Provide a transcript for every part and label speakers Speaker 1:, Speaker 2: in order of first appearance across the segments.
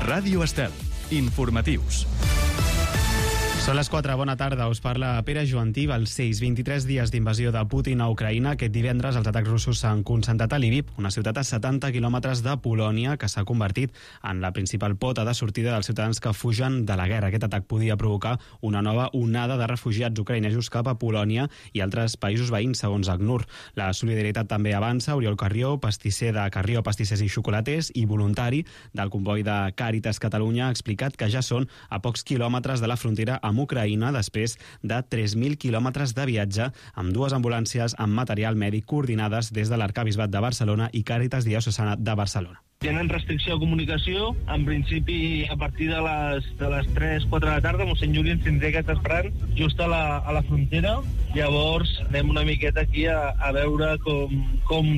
Speaker 1: Ràdio Estel. Informatius.
Speaker 2: Són les 4, bona tarda, us parla Pere Joantí. Als 23 dies d'invasió de Putin a Ucraïna, aquest divendres els atacs russos s'han concentrat a Lviv, una ciutat a 70 quilòmetres de Polònia que s'ha convertit en la principal pota de sortida dels ciutadans que fugen de la guerra. Aquest atac podia provocar una nova onada de refugiats ucraïnesos cap a Polònia i altres països veïns, segons ACNUR. La solidaritat també avança. Oriol Carrió, pastisser de Carrió, pastissers i xocolaters i voluntari del comboi de Càritas Catalunya, ha explicat que ja són a pocs quilòmetres de la frontera amb Ucraïna després de 3.000 quilòmetres de viatge amb 2 ambulàncies amb material mèdic coordinades des de l'Arquebisbat de Barcelona i Càritas Diocesana de Barcelona.
Speaker 3: Tenen restricció de comunicació. En principi, a partir de les 3-4 de la tarda, mossèn Juli ens tindrà aquest esperant just a la frontera. Llavors, anem una miqueta aquí a veure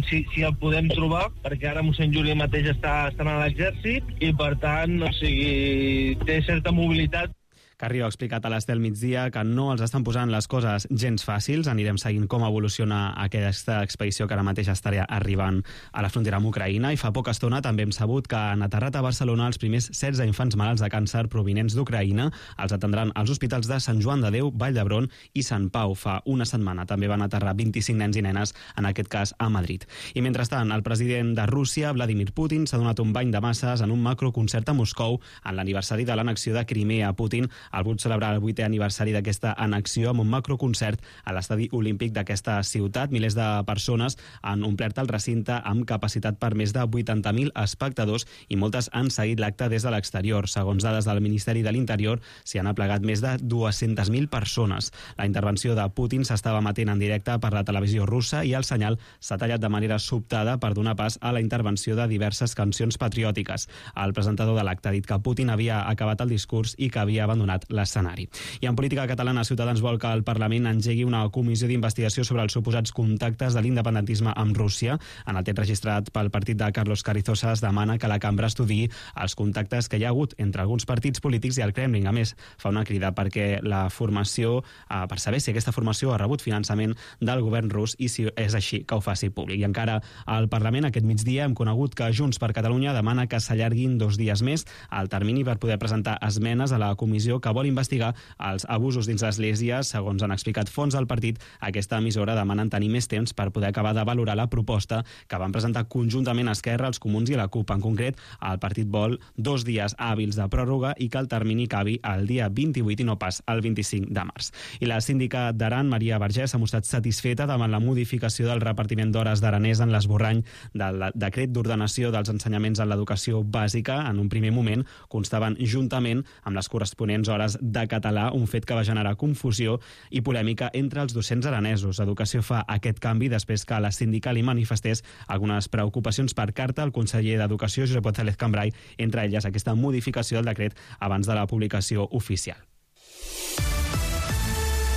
Speaker 3: si el podem trobar, perquè ara mossèn Juli mateix està a l'exèrcit i, per tant, té certa mobilitat.
Speaker 2: Carrió ha explicat a l'Estel Migdia que no els estan posant les coses gens fàcils. Anirem seguint com evoluciona aquesta expedició que ara mateix estarà arribant a la frontera amb Ucraïna. I fa poca estona també hem sabut que han aterrat a Barcelona els primers 16 infants malalts de càncer provinents d'Ucraïna. Els atendran als hospitals de Sant Joan de Déu, Vall d'Hebron i Sant Pau. Fa una setmana també van aterrar 25 nens i nenes, en aquest cas a Madrid. I mentrestant, el president de Rússia, Vladimir Putin, s'ha donat un bany de masses en un macroconcert a Moscou en l'aniversari de l'annexió de Crimea. Putin ha volgut celebrar el 8è aniversari d'aquesta annexió amb un macroconcert a l'estadi olímpic d'aquesta ciutat. Milers de persones han omplert el recinte amb capacitat per més de 80.000 espectadors i moltes han seguit l'acte des de l'exterior. Segons dades del Ministeri de l'Interior, s'hi han aplegat més de 200.000 persones. La intervenció de Putin s'estava emetent en directe per la televisió russa i el senyal s'ha tallat de manera sobtada per donar pas a la intervenció de diverses cancions patriòtiques. El presentador de l'acte ha dit que Putin havia acabat el discurs i que havia abandonat l'escenari. I en política catalana, Ciutadans vol que el Parlament engegui una comissió d'investigació sobre els suposats contactes de l'independentisme amb Rússia. En el text registrat pel partit de Carlos Carrizosa es demana que la cambra estudiï els contactes que hi ha hagut entre alguns partits polítics i el Kremlin. A més, fa una crida perquè la formació, per saber si aquesta formació ha rebut finançament del govern rus i si és així, que ho faci públic. I encara al Parlament, aquest migdia, hem conegut que Junts per Catalunya demana que s'allarguin 2 dies més el termini per poder presentar esmenes a la comissió que vol investigar els abusos dins l'Església. Segons han explicat fonts del partit, aquesta emissora demanen tenir més temps per poder acabar de valorar la proposta que van presentar conjuntament Esquerra, els Comuns i la CUP. En concret, el partit vol 2 dies hàbils de pròrroga i que el termini acabi el dia 28 i no pas el 25 de març. I la síndica d'Aran, Maria Vergés, ha mostrat satisfeta davant la modificació del repartiment d'hores d'aranès en l'esborrany del decret d'ordenació dels ensenyaments en l'educació bàsica. En un primer moment constaven juntament amb les corresponents hores de català, un fet que va generar confusió i polèmica entre els docents aranesos. Educació fa aquest canvi després que la síndica li manifestés algunes preocupacions per carta al conseller d'Educació, Josep González Cambray, entre elles aquesta modificació del decret abans de la publicació oficial.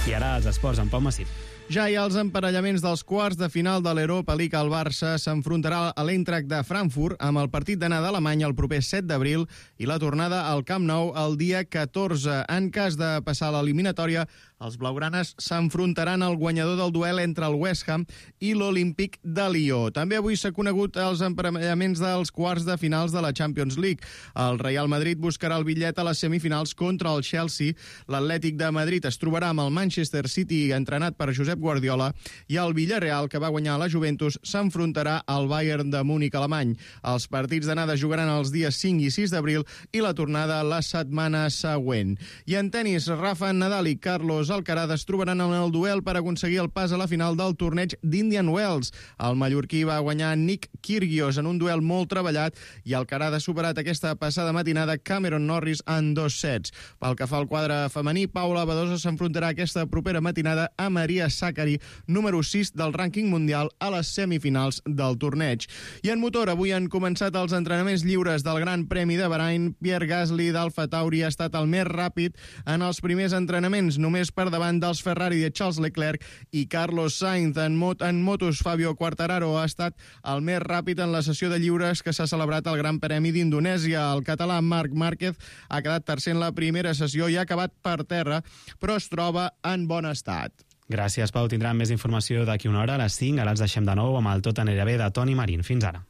Speaker 2: I ara els esports amb Pau Massip.
Speaker 4: Ja hi ha els emparellaments dels quarts de final de l'Europa League. El Barça s'enfrontarà a l'Eintracht de Frankfurt amb el partit d'anada a Alemanya el proper 7 d'abril i la tornada al Camp Nou el dia 14. En cas de passar l'eliminatòria, els blaugranes s'enfrontaran al guanyador del duel entre el West Ham i l'Olímpic de Lió. També avui s'ha conegut els emparellaments dels quarts de finals de la Champions League. El Real Madrid buscarà el bitllet a les semifinals contra el Chelsea. L'Atlètic de Madrid es trobarà amb el Manchester City, entrenat per Josep Guardiola, i el Villarreal, que va guanyar la Juventus, s'enfrontarà al Bayern de Múnich alemany. Els partits d'anada jugaran els dies 5 i 6 d'abril i la tornada la setmana següent. I en tenis, Rafa Nadal i Carlos Alcaraz es trobaran en el duel per aconseguir el pas a la final del torneig d'Indian Wells. El mallorquí va guanyar Nick Kyrgios en un duel molt treballat i Alcaraz ha superat aquesta passada matinada Cameron Norris en 2 sets. Pel que fa al quadre femení, Paula Badosa s'enfrontarà aquesta propera matinada a Maria Sakkari, número 6 del rànquing mundial, a les semifinals del torneig. I en motor, avui han començat els entrenaments lliures del Gran Premi de Bahrain. Pierre Gasly d'Alfa Tauri ha estat el més ràpid en els primers entrenaments, només per davant dels Ferrari de Charles Leclerc i Carlos Sainz. En motos, Fabio Quartararo ha estat el més ràpid en la sessió de lliures que s'ha celebrat al Gran Premi d'Indonèsia. El català Marc Márquez ha quedat tercer en la primera sessió i ha acabat per terra, però es troba en bon estat.
Speaker 2: Gràcies, Pau. Tindran més informació d'aquí una hora, a les 5. Ara els deixem de nou amb el Tot anirà bé de Toni Marín. Fins ara.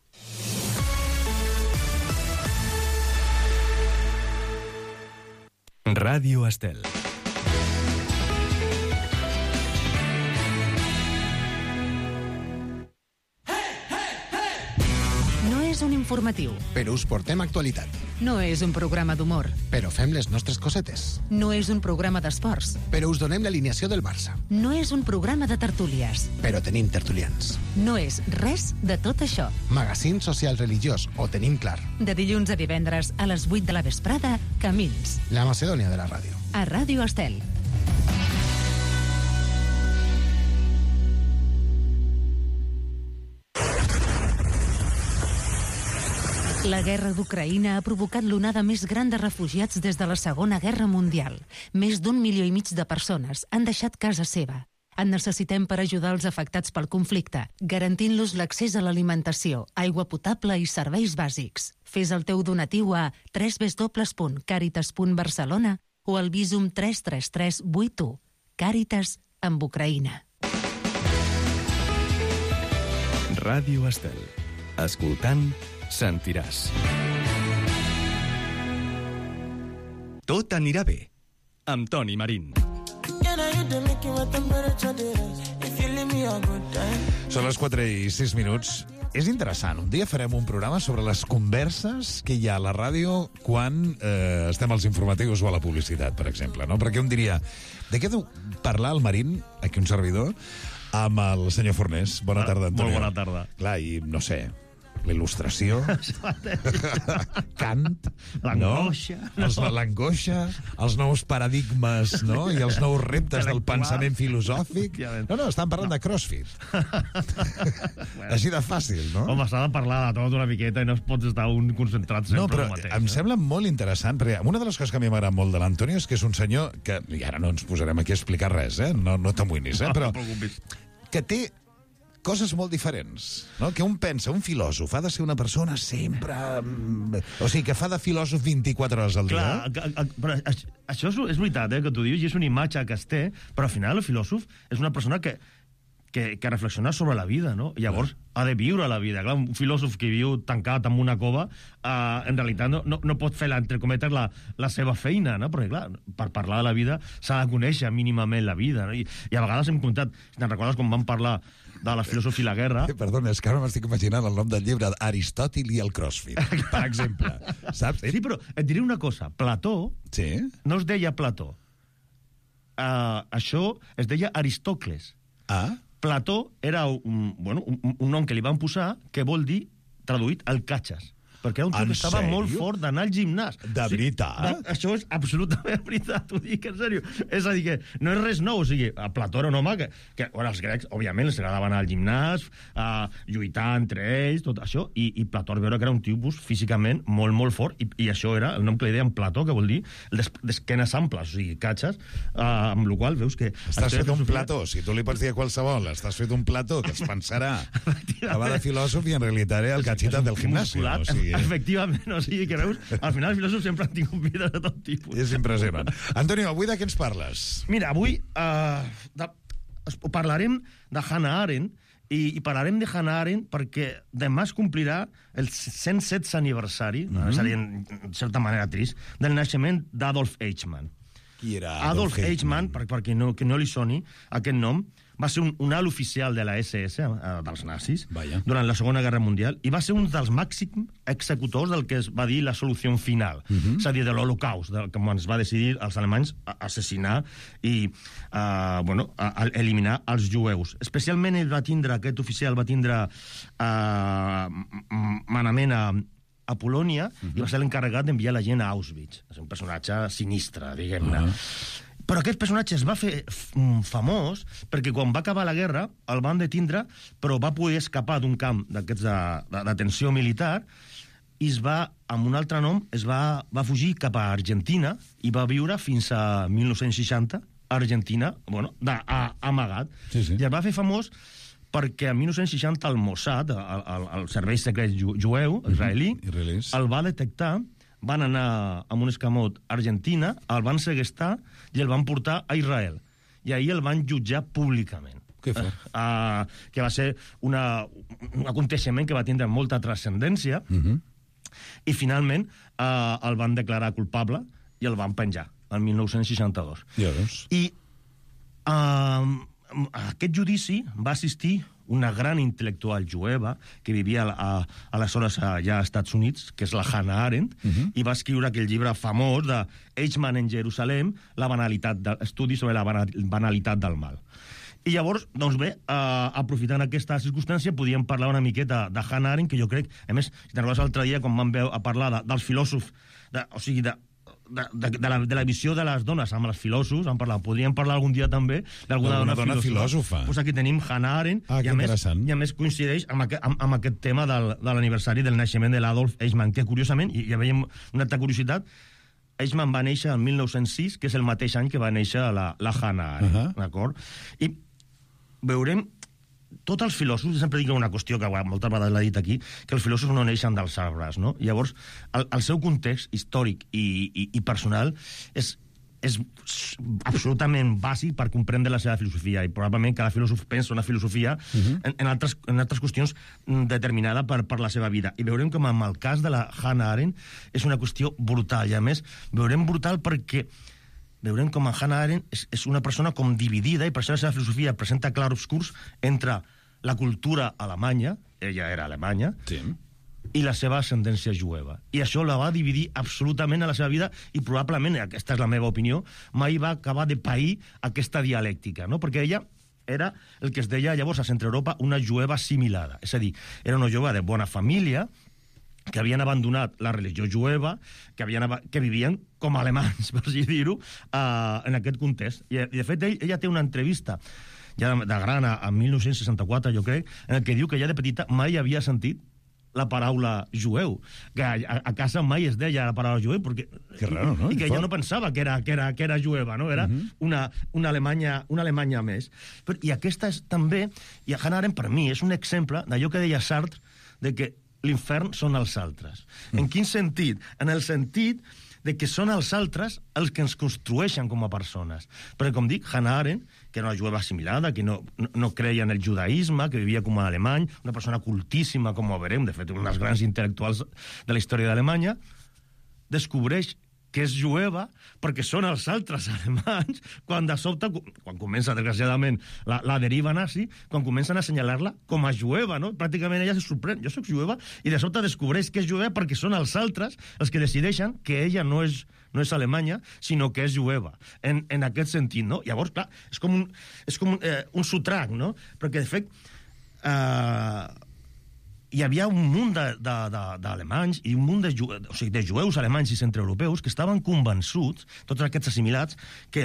Speaker 1: Ràdio Estel.
Speaker 5: No és un informatiu.
Speaker 6: Però us portem actualitat.
Speaker 5: No és un programa d'humor.
Speaker 6: Però fem les nostres cosetes.
Speaker 5: No és un programa d'esports.
Speaker 6: Però us donem l'alineació del Barça.
Speaker 5: No és un programa de tertúlies.
Speaker 6: Però tenim tertulians.
Speaker 5: No és res de tot això.
Speaker 6: Magazín social religiós, ho tenim clar.
Speaker 5: De dilluns a divendres a les 8 de la vesprada, Camins.
Speaker 6: La Macedònia de la ràdio.
Speaker 5: A Ràdio Estel. La guerra d'Ucraïna ha provocat l'onada més gran de refugiats des de la Segona Guerra Mundial. Més d'1,5 milió de persones han deixat casa seva. En necessitem per ajudar els afectats pel conflicte, garantint-los l'accés a l'alimentació, aigua potable i serveis bàsics. Fes el teu donatiu a www.caritas.barcelona o al Visum 33381. Càritas amb Ucraïna.
Speaker 1: Ràdio Estel. Escoltant, sentiràs. Tot anirà bé. Amb Toni Marín.
Speaker 7: Són les 4:06. És interessant. Un dia farem un programa sobre les converses que hi ha a la ràdio quan estem als informatius o a la publicitat, per exemple, no? Perquè un diria, de què deu parlar el Marín, aquí un servidor, amb el senyor Fornés? Bona tarda, Antonio.
Speaker 8: Molt bona tarda.
Speaker 7: Clar, i no sé, la il·lustració, Kant,
Speaker 8: l'angoixa,
Speaker 7: no? L'angoixa, els nous paradigmes, no? I els nous reptes del pensament filosòfic. No, estan parlant de CrossFit. Així de fàcil, no?
Speaker 8: Home, s'ha de parlar de tot una miqueta i no es pots estar un concentrat sempre
Speaker 7: no, però
Speaker 8: el mateix.
Speaker 7: Em sembla molt interessant, perquè una de les coses que a mi m'agrada molt de l'Antonio és que és un senyor que, i ara no ens posarem aquí a explicar res, no t'amoïnis, però que té coses molt diferents, no? Que un pensa, un filòsof ha de ser una persona sempre... O sigui, que fa de filòsof 24 hores al dia.
Speaker 8: Clar, però això és veritat, que tu dius, i és una imatge que es té, però al final el filòsof és una persona que reflexiona sobre la vida, no? I llavors ha de viure la vida. Clar, un filòsof que viu tancat en una cova, en realitat no pot fer, entre cometes, la seva feina, no? Perquè, clar, per parlar de la vida s'ha de conèixer mínimament la vida, no? I a vegades hem comptat, si te'n recordes quan vam parlar de la filosofia i la guerra...
Speaker 7: Perdona, és que ara m'estic imaginant el nom del llibre, Aristòtil i el CrossFit, per exemple. Saps?
Speaker 8: Sí, però et diré una cosa. Plató no es deia Plató. Això es deia Aristòcles. Plató era un nom que li van posar que vol dir, traduït, el catxes. Perquè era un tio que estava molt fort d'anar al gimnàs.
Speaker 7: De veritat?
Speaker 8: Això és absolutament veritat, t'ho dic en sèrio. És a dir, que no és res nou. O sigui, Plató era un home que els grecs, òbviament, els agradava anar al gimnàs, lluitar entre ells, tot això, i Plató va veure que era un tipus físicament molt, molt fort, i això era el nom que li deien Plató, que vol dir d'esquenes amples, o sigui, catxes, amb la qual veus que...
Speaker 7: Estàs fet un plató, si tu li pots dir a qualsevol, estàs fet un plató que es pensarà que va de filòsof i en realitat era el catxita del gimnàs.
Speaker 8: Efectivament, o sigui que veus, al final els filòsofs sempre han tingut vides de tot tipus.
Speaker 7: És impressionant. Antonio, avui de què ens parles?
Speaker 8: Mira, avui parlarem de Hannah Arendt, i parlarem de Hannah Arendt perquè demà es complirà el 107è aniversari, seria en certa manera trist, del naixement d'Adolf Eichmann.
Speaker 7: Qui era
Speaker 8: Adolf Eichmann, perquè que no li soni aquest nom, va ser un alt oficial de la SS, dels nazis, durant la Segona Guerra Mundial, i va ser un dels màxims executors del que es va dir la solució final, és a dir, de l'Holocaust, com es va decidir els alemanys assassinar i eliminar els jueus. Especialment aquest oficial va tindre manament a Polònia i va ser l'encarregat d'enviar la gent a Auschwitz. És un personatge sinistre, diguem-ne. Però aquest personatge es va fer famós perquè quan va acabar la guerra el van detindre, però va poder escapar d'un camp d'aquests de detenció militar i amb un altre nom, va fugir cap a Argentina i va viure fins a 1960 a Argentina, amagat. I es va fer famós perquè en 1960 el Mossad, el servei secret jueu israelí, el va detectar, van anar amb un escamot a Argentina, el van segrestar i el van portar a Israel. I ahir el van jutjar públicament.
Speaker 7: Que
Speaker 8: va ser un aconteixement que va tindre molta transcendència i finalment el van declarar culpable i el van penjar. el 1962.
Speaker 7: Ja veus.
Speaker 8: I a aquest judici va assistir una gran intel·lectual jueva que vivia aleshores ja als Estats Units, que és la Hannah Arendt, i va escriure aquell llibre famós de Eichmann en Jerusalem, estudi sobre la banalitat del mal. I llavors, doncs bé, aprofitant aquesta circumstància, podíem parlar una miqueta de Hannah Arendt, que jo crec, a més, si te'n recordes l'altre dia, quan vam parlar dels filòsofs, o sigui, de la visió de les dones amb els filòsofs, podríem parlar algun dia també d'alguna dona filòsofa. Pues aquí tenim Hannah Arendt, i a més coincideix amb aquest tema de l'aniversari del naixement de l'Adolf Eichmann, que curiosament, i ja veiem una altra curiositat, Eichmann va néixer el 1906, que és el mateix any que va néixer la Hannah Arendt, d'acord? I veurem tots els filòsofs, sempre dic una qüestió que moltes vegades l'he dit aquí, que els filòsofs no neixen dels arbres, no? Llavors, el seu context històric i personal és absolutament bàsic per comprendre la seva filosofia, i probablement cada filòsof pensa una filosofia en altres qüestions determinada per la seva vida. I veurem com en el cas de la Hannah Arendt és una qüestió brutal, i a més veurem brutal perquè veurem com en Hannah Arendt és una persona com dividida, i per això la seva filosofia presenta clarobscurs entre la cultura alemanya, ella era alemanya, sí, i la seva ascendència jueva. I això la va dividir absolutament a la seva vida, i probablement, aquesta és la meva opinió, mai va acabar de pair aquesta dialèctica, no? Perquè ella era el que es deia llavors a Centre Europa una jueva assimilada, és a dir, era una jueva de bona família, que havien abandonat la religió jueva, que vivien com a alemanys, per així dir-ho, en aquest context. I de fet, ella té una entrevista ja de gran, en 1964, jo crec, en què diu que ja de petita mai havia sentit la paraula jueu, que a casa mai es deia la paraula jueu, perquè,
Speaker 7: que raro, no?
Speaker 8: I que ella no pensava que era jueva, no? Era una Alemanya més. I aquesta és també, i a Hannah Arendt per mi és un exemple d'allò que deia Sartre, de que l'infern són els altres. En quin sentit? En el sentit de que són els altres els que ens construeixen com a persones. Perquè, com dic, Hannah Arendt, que era una jueva assimilada, que no creia en el judaïsme, que vivia com a alemany, una persona cultíssima, com ho veurem, de fet, un dels grans intel·lectuals de la història d'Alemanya, descobreix que és jueva perquè són els altres alemanys, quan de sobte, quan comença, desgraciadament, la deriva nazi, quan comencen a assenyalar-la com a jueva, no? Pràcticament ella se sorprèn, jo soc jueva, i de sobte descobreix que és jueva perquè són els altres els que decideixen que ella no és alemanya, sinó que és jueva, en aquest sentit, no? Llavors, clar, és com un sotrac, no? Perquè, de fet, hi havia un munt d'alemanys i un munt de jueus alemanys i centreeuropeus que estaven convençuts, tots aquests assimilats, que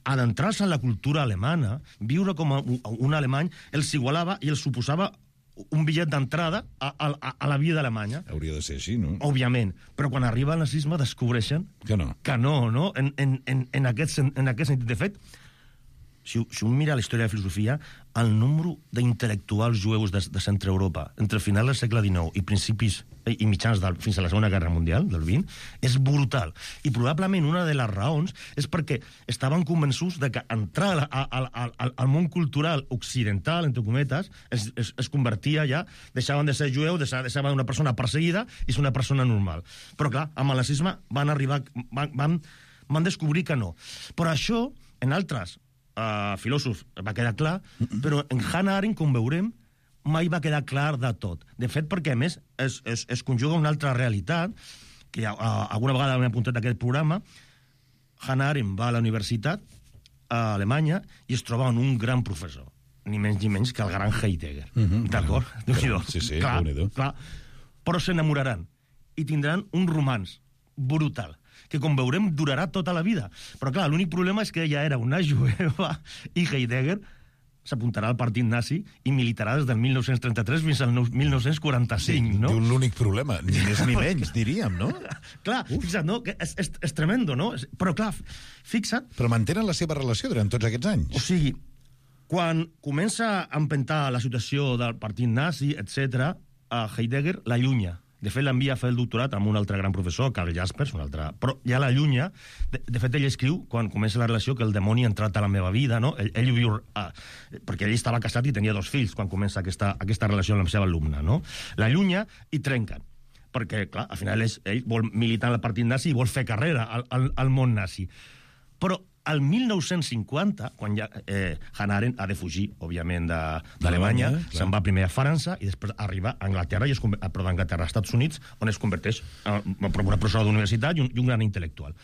Speaker 8: adentrar-se en la cultura alemana, viure com un alemany, els igualava i els suposava un bitllet d'entrada a la vida alemanya.
Speaker 7: Hauria de ser així, no?
Speaker 8: Òbviament. Però quan arriba el nazisme descobreixen que no? En aquest sentit. De fet, si un mira la història de filosofia, el número d'intel·lectuals jueus de Centre Europa entre el final del segle XIX i principis i mitjans fins a la Segona Guerra Mundial, del XX, és brutal. I probablement una de les raons és perquè estaven convençuts de que entrar al món cultural occidental, entre cometes, es convertia ja, deixaven de ser jueu, deixaven una persona perseguida i ser una persona normal. Però clar, amb el nazisme van descobrir que no. Però això, en altres filòsofs va quedar clar, però en Hannah Arendt, com veurem, mai va quedar clar de tot. De fet, perquè a més es conjuga una altra realitat, que alguna vegada m'he apuntat a aquest programa. Hannah Arendt va a la universitat a Alemanya i es troba amb un gran professor, ni menys que el gran Heidegger. D'acord?
Speaker 7: Sí,
Speaker 8: clar. Però s'enamoraran i tindran un romanç brutal, que, com veurem, durarà tota la vida. Però, clar, l'únic problema és que ella era una jueva i Heidegger s'apuntarà al partit nazi i militarà des del 1933 fins al 1945, no?
Speaker 7: Diu l'únic problema, ni més ni menys, diríem, no?
Speaker 8: Clar, fixa't, no? És tremendo, no? Però, clar, fixa't...
Speaker 7: Però mantenen la seva relació durant tots aquests anys.
Speaker 8: O sigui, quan comença a empentar la situació del partit nazi, etc., a Heidegger l'allunya. De fet, l'envia a fer el doctorat amb un altre gran professor, Karl Jaspers, un altre... Però ja l'allunya. De fet, ell escriu, quan comença la relació, que el dimoni ha entrat a la meva vida, no? Ell viu... perquè ell estava casat i tenia 2 fills quan comença aquesta relació amb la seva alumna, no? L'allunya i trenquen. perquè, clar, al final ell vol militar en el partit nazi i vol fer carrera al món nazi. Però al 1950, quan ja Hannah Arendt ha de fugir, òbviament, d'Alemanya, se'n va primer a França i després arriba a Anglaterra, d'Anglaterra a Estats Units, on es converteix en una professora d'universitat i un gran intel·lectual.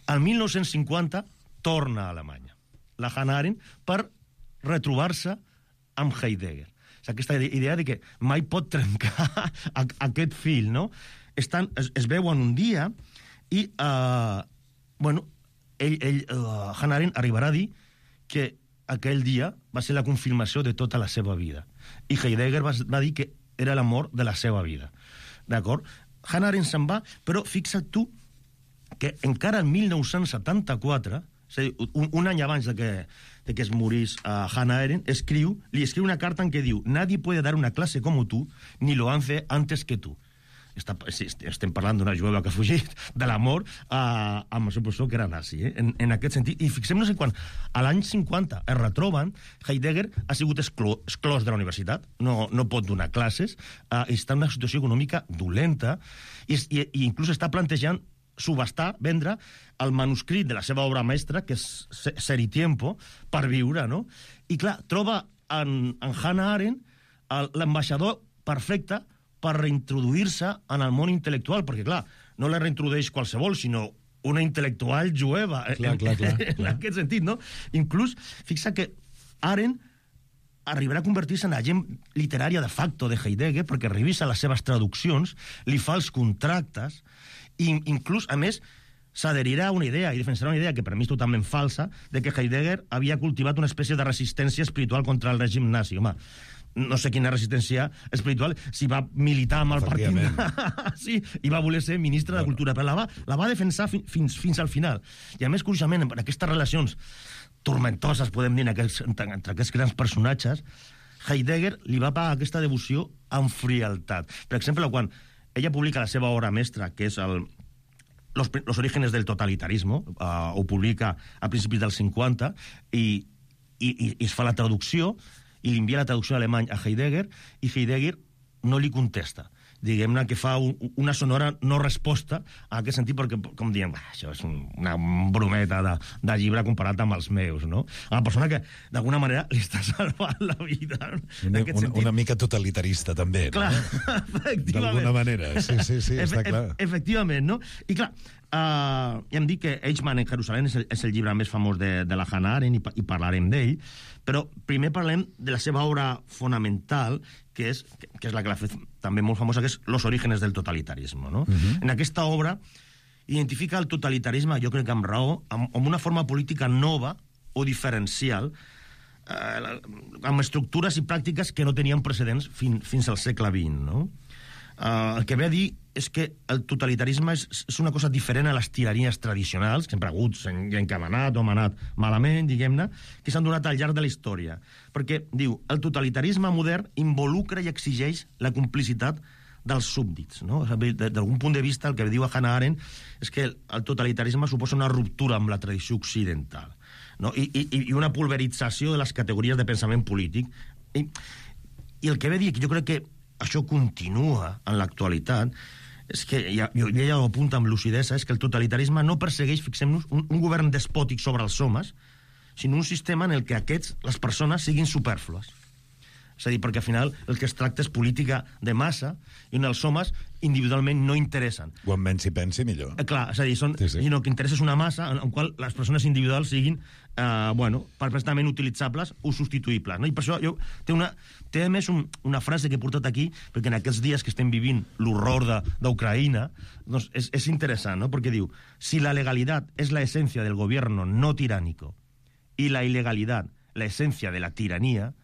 Speaker 8: Al 1950 torna a Alemanya, la Hannah Arendt, per retrobar-se amb Heidegger. És aquesta idea de que mai pot trencar aquest fil, no? Es veuen un dia i, Hannah Arendt arribarà a dir que aquell dia va ser la confirmació de tota la seva vida. I Heidegger va dir que era l'amor de la seva vida. D'acord? Hannah Arendt se'n va, però fixa't tu que encara el 1974, és a dir, un any abans de que es morís Hannah Arendt, li escriu una carta en què diu: «Nadie puede dar una clase como tú, ni lo hace antes que tú». Estem parlant d'una jueva que ha fugit de l'amor amb el seu professor que era nazi, en aquest sentit. I fixem-nos en quan a l'any 50 es retroben, Heidegger ha sigut exclòs de la universitat, no pot donar classes, està en una situació econòmica dolenta i inclús està plantejant subhastar, vendre el manuscrit de la seva obra mestra, que és Ser y Tiempo, per viure, no? I clar, troba en Hannah Arendt l'ambaixador perfecte per reintroduir-se en el món intel·lectual, perquè, clar, no la reintrodueix qualsevol, sinó una intel·lectual jueva,
Speaker 7: clar.
Speaker 8: En aquest sentit, no? Inclús, fixa que Arendt arribarà a convertir-se en agent literària de facto de Heidegger, perquè revisa les seves traduccions, li fa els contractes, i inclús, a més, s'adherirà a una idea, i defensarà una idea que per mi és totalment falsa, de que Heidegger havia cultivat una espècie de resistència espiritual contra el règim nazi. Home, no sé quina resistència espiritual, si va militar amb el partit sí, i va voler ser ministre de Cultura, però la va defensar fins al final. I a més, curiosament, en aquestes relacions tormentoses, podem dir, entre aquests grans personatges, Heidegger li va pagar aquesta devoció amb frialtat. Per exemple, quan ella publica la seva obra mestra, que és Los orígenes del totalitarismo, ho publica a principis dels 50, i es fa la traducció, i li envia la traducció en alemany a Heidegger, i Heidegger no li contesta. Diguem-ne que fa una sonora no resposta a aquest sentit, perquè, com diem, això és una brometa de llibre comparat amb els meus, no? Una persona que, d'alguna manera, li està salvant la vida.
Speaker 7: Una mica totalitarista, també.
Speaker 8: Clar, no? Efectivament.
Speaker 7: D'alguna manera, sí, està clar.
Speaker 8: Efectivament, no? I clar, ja hem dit que Eichmann en Jerusalem és el llibre més famós de la Hannah Arendt, i parlarem d'ell, però primer parlem de la seva obra fonamental, que és la que l'ha fet també molt famosa, que és Los orígenes del totalitarismo, no? En aquesta obra identifica el totalitarisme, jo crec que amb raó, amb una forma política nova o diferencial, amb estructures i pràctiques que no tenien precedents fins al segle XX, no? El que ve a dir és que el totalitarisme és una cosa diferent a les tiranies tradicionals, que sempre ha hagut gent que ha manat o ha manat malament, diguem-ne, que s'han donat al llarg de la història. Perquè, diu, el totalitarisme modern involucra i exigeix la complicitat dels súbdits, no? D'algun punt de vista, el que diu a Hannah Arendt és que el totalitarisme suposa una ruptura amb la tradició occidental, no? I una pulverització de les categories de pensament polític. I el que ve a dir, que jo crec que això continua en l'actualitat, és que ella ho apunta amb lucidesa, és que el totalitarisme no persegueix, fixem-nos, un govern despòtic sobre els homes, sinó un sistema en el que les persones siguin supèrflues. És a dir, perquè al final el que es tracta és política de massa i on els homes individualment no interessen.
Speaker 7: Quan menys s'hi pensi, millor.
Speaker 8: Clar, és a dir, sinó que interessa és una massa en qual les persones individuals siguin perfectament utilitzables o substituïbles. No? I per això té a més una frase que he portat aquí, perquè en aquests dies que estem vivint l'horror d'Ucraïna, doncs és interessant, no? Perquè diu: si la legalidad es la esencia del gobierno no tiránico y la ilegalidad la esencia de la tiranía,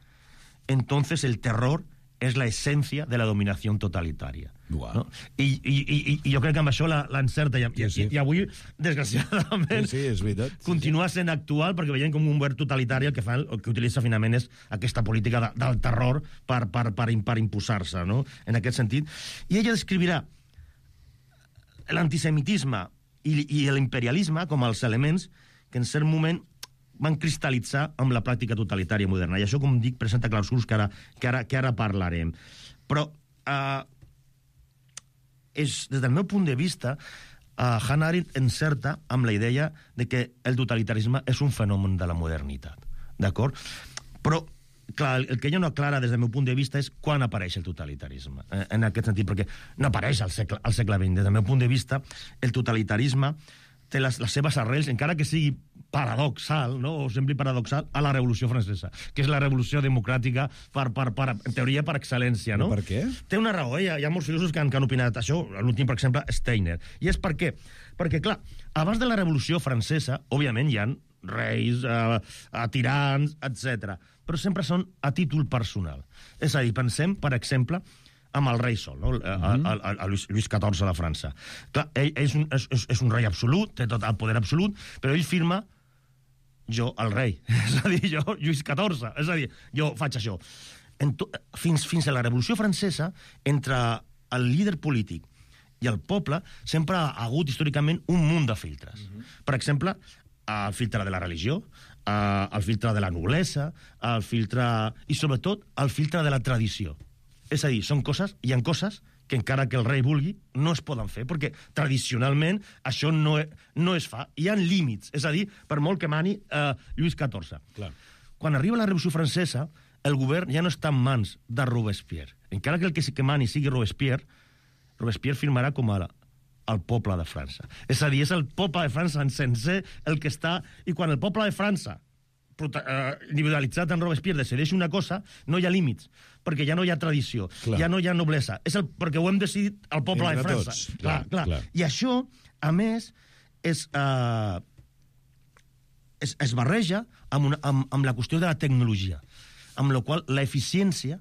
Speaker 8: entonces el terror és la essència de la dominació totalitària.
Speaker 7: Wow.
Speaker 8: No? I jo crec que amb això l'encerta. I avui, desgraciadament,
Speaker 7: és veritat.
Speaker 8: Continua sent actual, perquè veiem com un govern totalitari el que utilitza finalment és aquesta política del terror per imposar-se, no? En aquest sentit. I ella descrivirà l'antisemitisme i l'imperialisme com els elements que en cert moment van cristal·litzar amb la pràctica totalitària moderna. I això, com dic, presenta clarobscurs que ara parlarem. Però des del meu punt de vista, Hannah Arendt encerta amb la idea de que el totalitarisme és un fenomen de la modernitat, d'acord? Però, clar, el que ella no aclara des del meu punt de vista és quan apareix el totalitarisme, en aquest sentit, perquè no apareix al segle XX. Des del meu punt de vista, el totalitarisme té les seves arrels, encara que sigui paradoxal, no? O sembli paradoxal, a la Revolució Francesa, que és la revolució democràtica en teoria per excel·lència, no?
Speaker 7: Per què?
Speaker 8: Té una raó, hi ha molts filòsofs que han opinat això, l'últim, per exemple, Steiner. I és per què? Perquè, clar, abans de la Revolució Francesa, òbviament hi ha reis, tirans, etc. Però sempre són a títol personal. És a dir, pensem, per exemple, amb el rei sol, no? Lluís XIV de França. Clar, ell és un rei absolut, té tot el poder absolut, però ell firma jo, el rei. És a dir, jo, Lluís XIV. És a dir, jo faig això. Fins a la Revolució Francesa, entre el líder polític i el poble, sempre ha hagut històricament un munt de filtres. Per exemple, el filtre de la religió, el filtre de la noblesa, el filtre... i sobretot el filtre de la tradició. És a dir, hi ha coses que encara que el rei vulgui, no es poden fer, perquè tradicionalment això no es fa. Hi ha límits, és a dir, per molt que mani Lluís XIV. Clar. Quan arriba la Revolució Francesa, el govern ja no està en mans de Robespierre. Encara que el que mani sigui Robespierre firmarà com el poble de França. És a dir, és el poble de França en sencer el que està... I quan el poble de França, individualitzat en Robespierre, decideix una cosa, no hi ha límits, perquè ja no hi ha tradició, ja no hi ha noblesa. Perquè ho hem decidit el poble de França. Clar. I això, a més, es barreja amb la qüestió de la tecnologia, amb la qual l'eficiència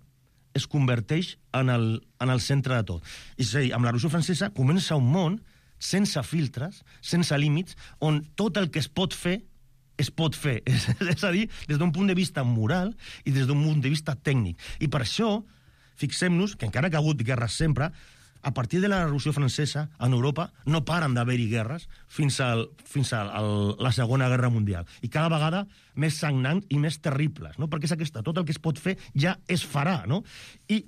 Speaker 8: es converteix en el centre de tot. És a dir, amb la Revolució Francesa comença un món sense filtres, sense límits, on tot el que es pot fer es pot fer. És a dir, des d'un punt de vista moral i des d'un punt de vista tècnic. I per això, fixem-nos que encara que ha hagut guerres sempre, a partir de la Revolució Francesa, en Europa, no paren d'haver-hi guerres fins a la Segona Guerra Mundial. I cada vegada més sagnants i més terribles, no? Perquè és aquesta, tot el que es pot fer ja es farà, no? I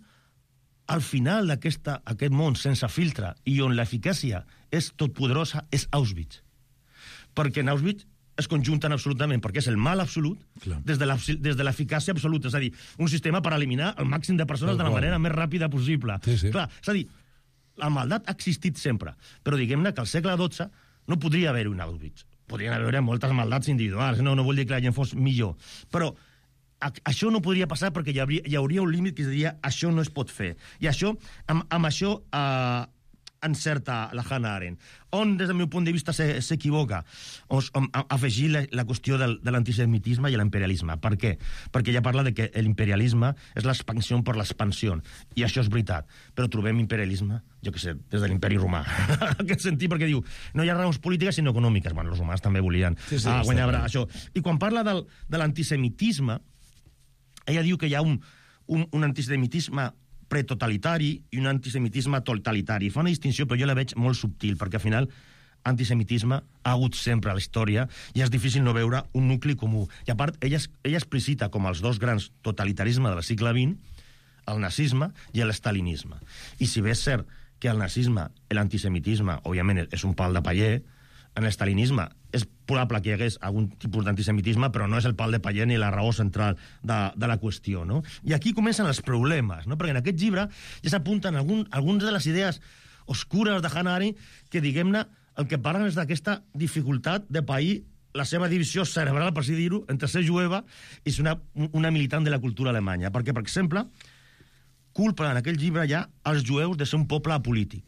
Speaker 8: al final d'aquest món sense filtre i on l'eficàcia és totpoderosa és Auschwitz. Perquè en Auschwitz es conjunten absolutament, perquè és el mal absolut des de l'eficàcia absoluta. És a dir, un sistema per eliminar el màxim de persones de la manera més ràpida possible.
Speaker 7: Sí.
Speaker 8: Clar, és a dir, la maldat ha existit sempre, però diguem-ne que al segle XII no podria haver-hi un Auschwitz. Podrien haver moltes maldats individuals, no vull dir que la gent fos millor, però això no podria passar perquè hi hauria un límit que es diria això no es pot fer. I això, amb això encerta la Hannah Arendt. On, des del meu punt de vista, s'equivoca? Afegir la qüestió de l'antisemitisme i l'imperialisme. Per què? Perquè ella parla de que l'imperialisme és l'expansió per l'expansió. I això és veritat. Però trobem imperialisme, jo què sé, des de l'imperi romà. En aquest sentit, perquè diu, no hi ha raons polítiques sinó econòmiques. Bueno, els romans també volien guanyar això. I quan parla de l'antisemitisme, ella diu que hi ha un antisemitisme pretotalitari i un antisemitisme totalitari. Fa una distinció, però jo la veig molt subtil, perquè al final antisemitisme ha hagut sempre a la història i és difícil no veure un nucli comú. I a part, ella explicita com els dos grans totalitarismes del segle XX, el nazisme i l'estalinisme. I si bé és cert que el nazisme i l'antisemitisme, òbviament, és un pal de paller, en l'estalinisme és probable que hi hagués algun tipus d'antisemitisme, però no és el pal de paller ni la raó central de la qüestió, no? I aquí comencen els problemes, no? Perquè en aquest llibre ja s'apunten algunes de les idees oscures de Hannah Arendt que, diguem-ne, el que parlen és d'aquesta dificultat de pair la seva divisió cerebral, per així dir-ho, entre ser jueva i ser una militant de la cultura alemanya. Perquè, per exemple, culpen en aquell llibre ja els jueus de ser un poble apolític.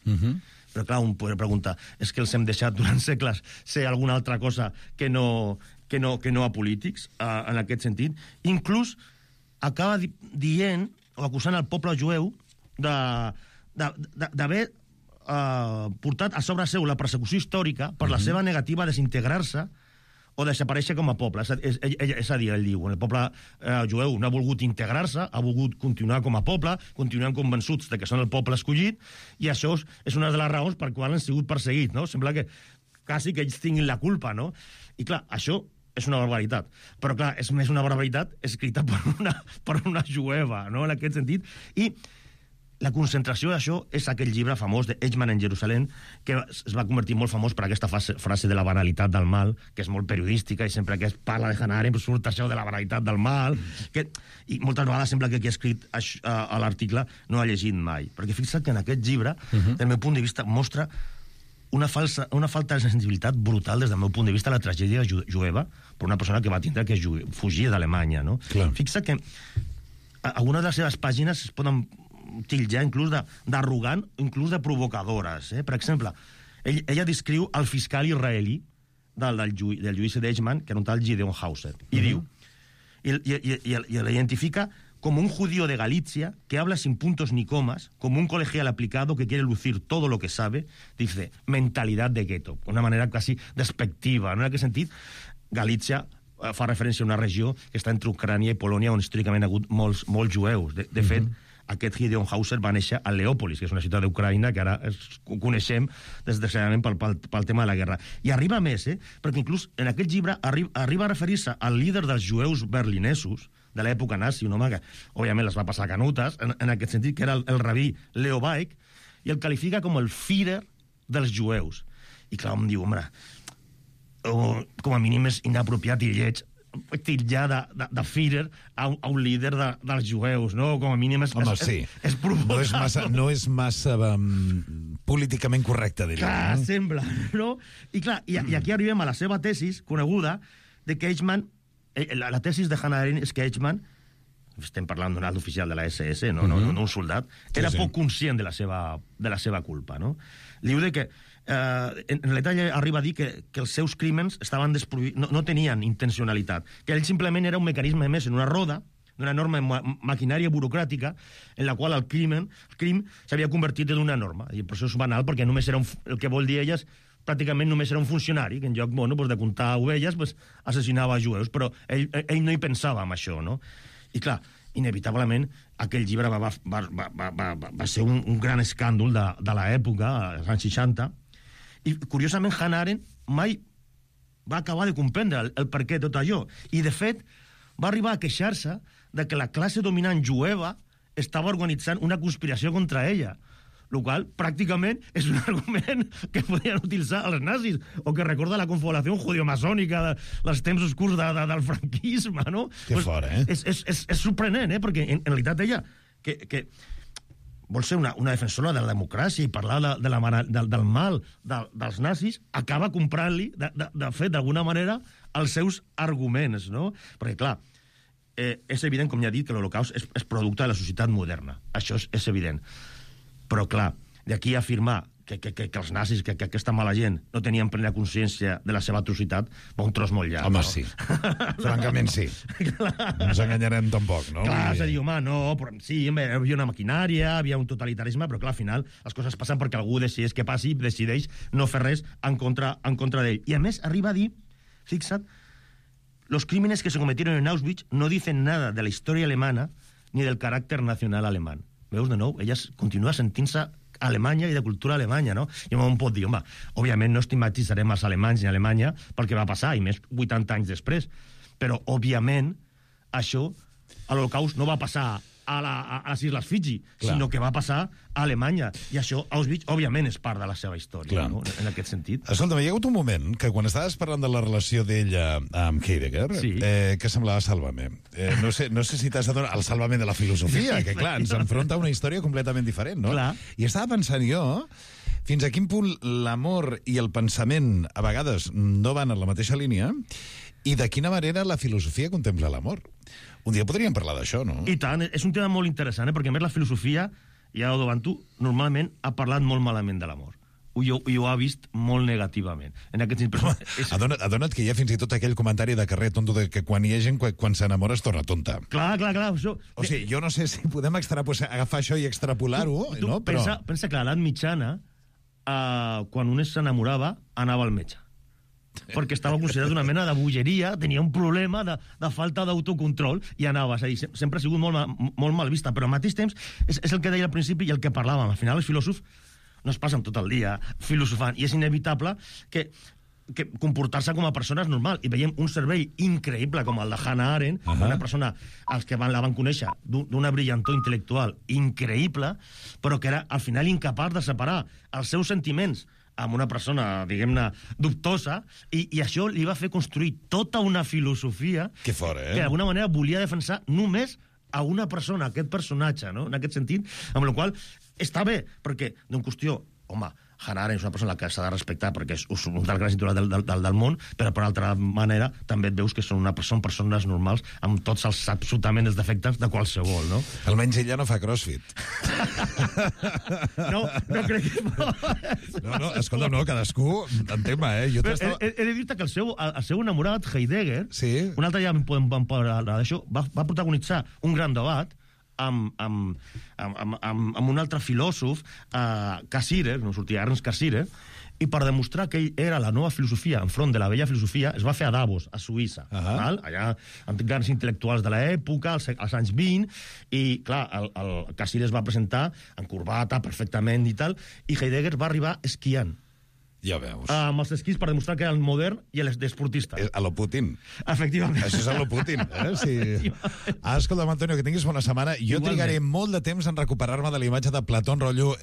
Speaker 8: Però, clar, un podria preguntar, és que els hem deixat durant segles ser alguna altra cosa que no apolítics, en aquest sentit. Inclús acaba dient, o acusant el poble jueu d'haver portat a sobre seu la persecució històrica per la seva negativa a desintegrar-se o desaparèixer com a poble. És a dir, ell diu, el poble jueu no ha volgut integrar-se, ha volgut continuar com a poble, continuen convençuts de que són el poble escollit, i això és una de les raons per quan han sigut perseguits, no? Sembla que quasi que ells tinguin la culpa, no? I clar, això és una barbaritat. Però clar, és més una barbaritat escrita per una jueva, no? En aquest sentit. I la concentració d'això és aquell llibre famós de Eichmann en Jerusalem, que es va convertir molt famós per aquesta frase de la banalitat del mal, que és molt periodística, i sempre que es parla de Hannah Arendt surt això de la banalitat del mal, i moltes vegades sembla que qui ha escrit a l'article no ha llegit mai. Perquè fixa't que en aquest llibre, del meu punt de vista, mostra una falta de sensibilitat brutal des del meu punt de vista a la tragèdia jueva per una persona que va tindre que fugir d'Alemanya, no? Fixa't que algunes de les seves pàgines es poden tillar inclús d'arrogant, inclús de provocadores. Per exemple, ella descriu el fiscal israelí del judici d'Eichmann, que era un tal Gideon Hauser, i diu, i l'identifica como un judío de Galicia que habla sin puntos ni comas, como un colegial aplicado que quiere lucir todo lo que sabe, dice, mentalidad de gueto, una manera quasi despectiva. En aquest sentit, Galícia fa referència a una regió que està entre Ucrània i Polònia, on històricament ha hagut molts jueus. De fet, aquest Gideon Hauser va néixer a Leòpolis, que és una ciutat d'Ucraïna que ara coneixem desgraciadament pel tema de la guerra. I arriba més, perquè inclús en aquest llibre arriba a referir-se al líder dels jueus berlinesos de l'època nazi, un home que, òbviament, les va passar canutes, en aquest sentit, que era el rabí Leo Baek, i el qualifica com el Führer dels jueus. I clar, em diu, home, com a mínim és inapropiat i lleig tillar de Führer a un líder dels jueus, no? Com a mínim és provocar.
Speaker 7: No és massa políticament correcte, diria.
Speaker 8: Clar, sembla, no? I clar, i aquí arribem a la seva tesis coneguda de que Eichmann, la tesis de Hannah Arendt és que Eichmann, estem parlant d'un alt oficial de la SS, no un soldat, era poc conscient de la seva culpa, no? Diu que en realitat ella arriba a dir que els seus crímens estaven no tenien intencionalitat, que ell simplement era un mecanisme més en una roda d'una enorme maquinària burocràtica en la qual el crim s'havia convertit en una norma, i el procés banal, perquè només era el que vol dir elles, pràcticament només era un funcionari que en lloc de comptar ovelles assassinava jueus, però ell no hi pensava en això, no? I clar, inevitablement aquell llibre va ser un gran escàndol de l'època, als anys 60, i curiosament Hannah Arendt mai va acabar de comprendre el per què tot allò, i de fet va arribar a queixar-se de que la classe dominant jueva estava organitzant una conspiració contra ella, el qual pràcticament és un argument que podien utilitzar els nazis, o que recorda la confabulació judio-masònica dels temps oscurs del franquisme, no?
Speaker 7: Que fort,
Speaker 8: És sorprenent, perquè en realitat ella que vol ser una defensora de la democràcia i parlar del mal dels nazis, acaba comprant-li, de fet, d'alguna manera, els seus arguments, no? Perquè, clar, és evident, com ja he dit, que l'Holocaust és producte de la societat moderna. Això és evident. Però, clar, d'aquí a afirmar que els nazis, que aquesta mala gent no tenien plena consciència de la seva atrocitat, va un tros molt llarg.
Speaker 7: Home,
Speaker 8: no?
Speaker 7: Sí. Francament, sí. No ens enganyarem tampoc, no?
Speaker 8: Clar, és a dir, home, no, però sí, hi havia una maquinària, havia un totalitarisme, però clar, al final les coses passen perquè algú decideix que passi i decideix no fer res en contra d'ell. I a més, arriba a dir, fixa't, los crímenes que se cometieron en Auschwitz no dicen nada de la historia alemana ni del carácter nacional alemán. Veus, de nou, ella continua sentint-se Alemanya i de cultura alemanya, no? I un pot dir, home, òbviament no estigmatitzarem els alemanys ni Alemanya pel que va passar, i més 80 anys després. Però, òbviament, això, a l'Holocaust, no va passar a les Isles Fiji, sinó que va passar a Alemanya. I això, Auschwitz, òbviament, és part de la seva història, no? En aquest sentit.
Speaker 7: Escolta'm, hi ha hagut un moment que quan estaves parlant de la relació d'ella amb Heidegger, que semblava Sálvame. No sé si t'has adonat el Sálvame de la filosofia, que clar, ens enfronta a una història completament diferent, no?
Speaker 8: Clar.
Speaker 7: I estava pensant jo fins a quin punt l'amor i el pensament a vegades no van en la mateixa línia i de quina manera la filosofia contempla l'amor. Un dia podríem parlar d'això, no?
Speaker 8: I tant, és un tema molt interessant, perquè a més la filosofia, ja ho davant tu, normalment ha parlat molt malament de l'amor. I ho ha vist molt negativament. En aquest sentit,
Speaker 7: adona't que hi ha fins i tot aquell comentari de carrer tonto de que quan hi ha gent, quan s'enamora es torna tonta.
Speaker 8: Clar. Això...
Speaker 7: O sigui, jo no sé si podem agafar això i extrapolar-ho, no?
Speaker 8: Però... Pensa que a l'edat mitjana, quan un s'enamorava, anava al metge. Perquè estava considerat una mena de bogeria, tenia un problema de falta d'autocontrol i anava, és a dir, sempre ha sigut molt mal vista, però al mateix temps és el que deia al principi i el que parlàvem. Al final els filòsofs no es passen tot el dia filosofant, i és inevitable que comportar-se com a persones normal. I veiem un cervell increïble com el de Hannah Arendt, una persona, els que la van conèixer, d'una brillantor intel·lectual increïble, però que era al final incapaç de separar els seus sentiments amb una persona, diguem-ne, dubtosa, i això li va fer construir tota una filosofia
Speaker 7: que fora,
Speaker 8: que d'alguna manera volia defensar només a una persona, aquest personatge, no? En aquest sentit, amb la qual està bé, perquè d'una qüestió, home, Hannah Arendt és una persona que s'ha de respectar perquè és un dels grans intel·lectuals del món, però per altra manera també et veus que són persones normals amb tots els absolutament els defectes de qualsevol, no?
Speaker 7: Almenys ella no fa crossfit.
Speaker 8: No crec que...
Speaker 7: No, escolta, no, cadascú en tema, Jo
Speaker 8: he de dir-te que el seu enamorat, Heidegger,
Speaker 7: sí.
Speaker 8: Un altre dia vam parlar d'això, va protagonitzar un gran debat amb un altre filòsof, Cassirer, no sortia Ernst Cassirer, i per demostrar que ell era la nova filosofia enfront de la vella filosofia, es va fer a Davos, a Suïssa. Allà, amb grans intel·lectuals de l'època, als anys 20, i, clar, el Cassirer es va presentar en corbata, perfectament i tal, i Heidegger va arribar esquiant.
Speaker 7: Ja veus.
Speaker 8: Amb els esquís per demostrar que era el modern i l'esportista.
Speaker 7: A lo Putin.
Speaker 8: Efectivament.
Speaker 7: Això és a lo Putin, Sí. Escolta'm, Antonio, que tinguis bona setmana. Jo trigaré molt de temps en recuperar-me de la imatge de Platón, rotllo...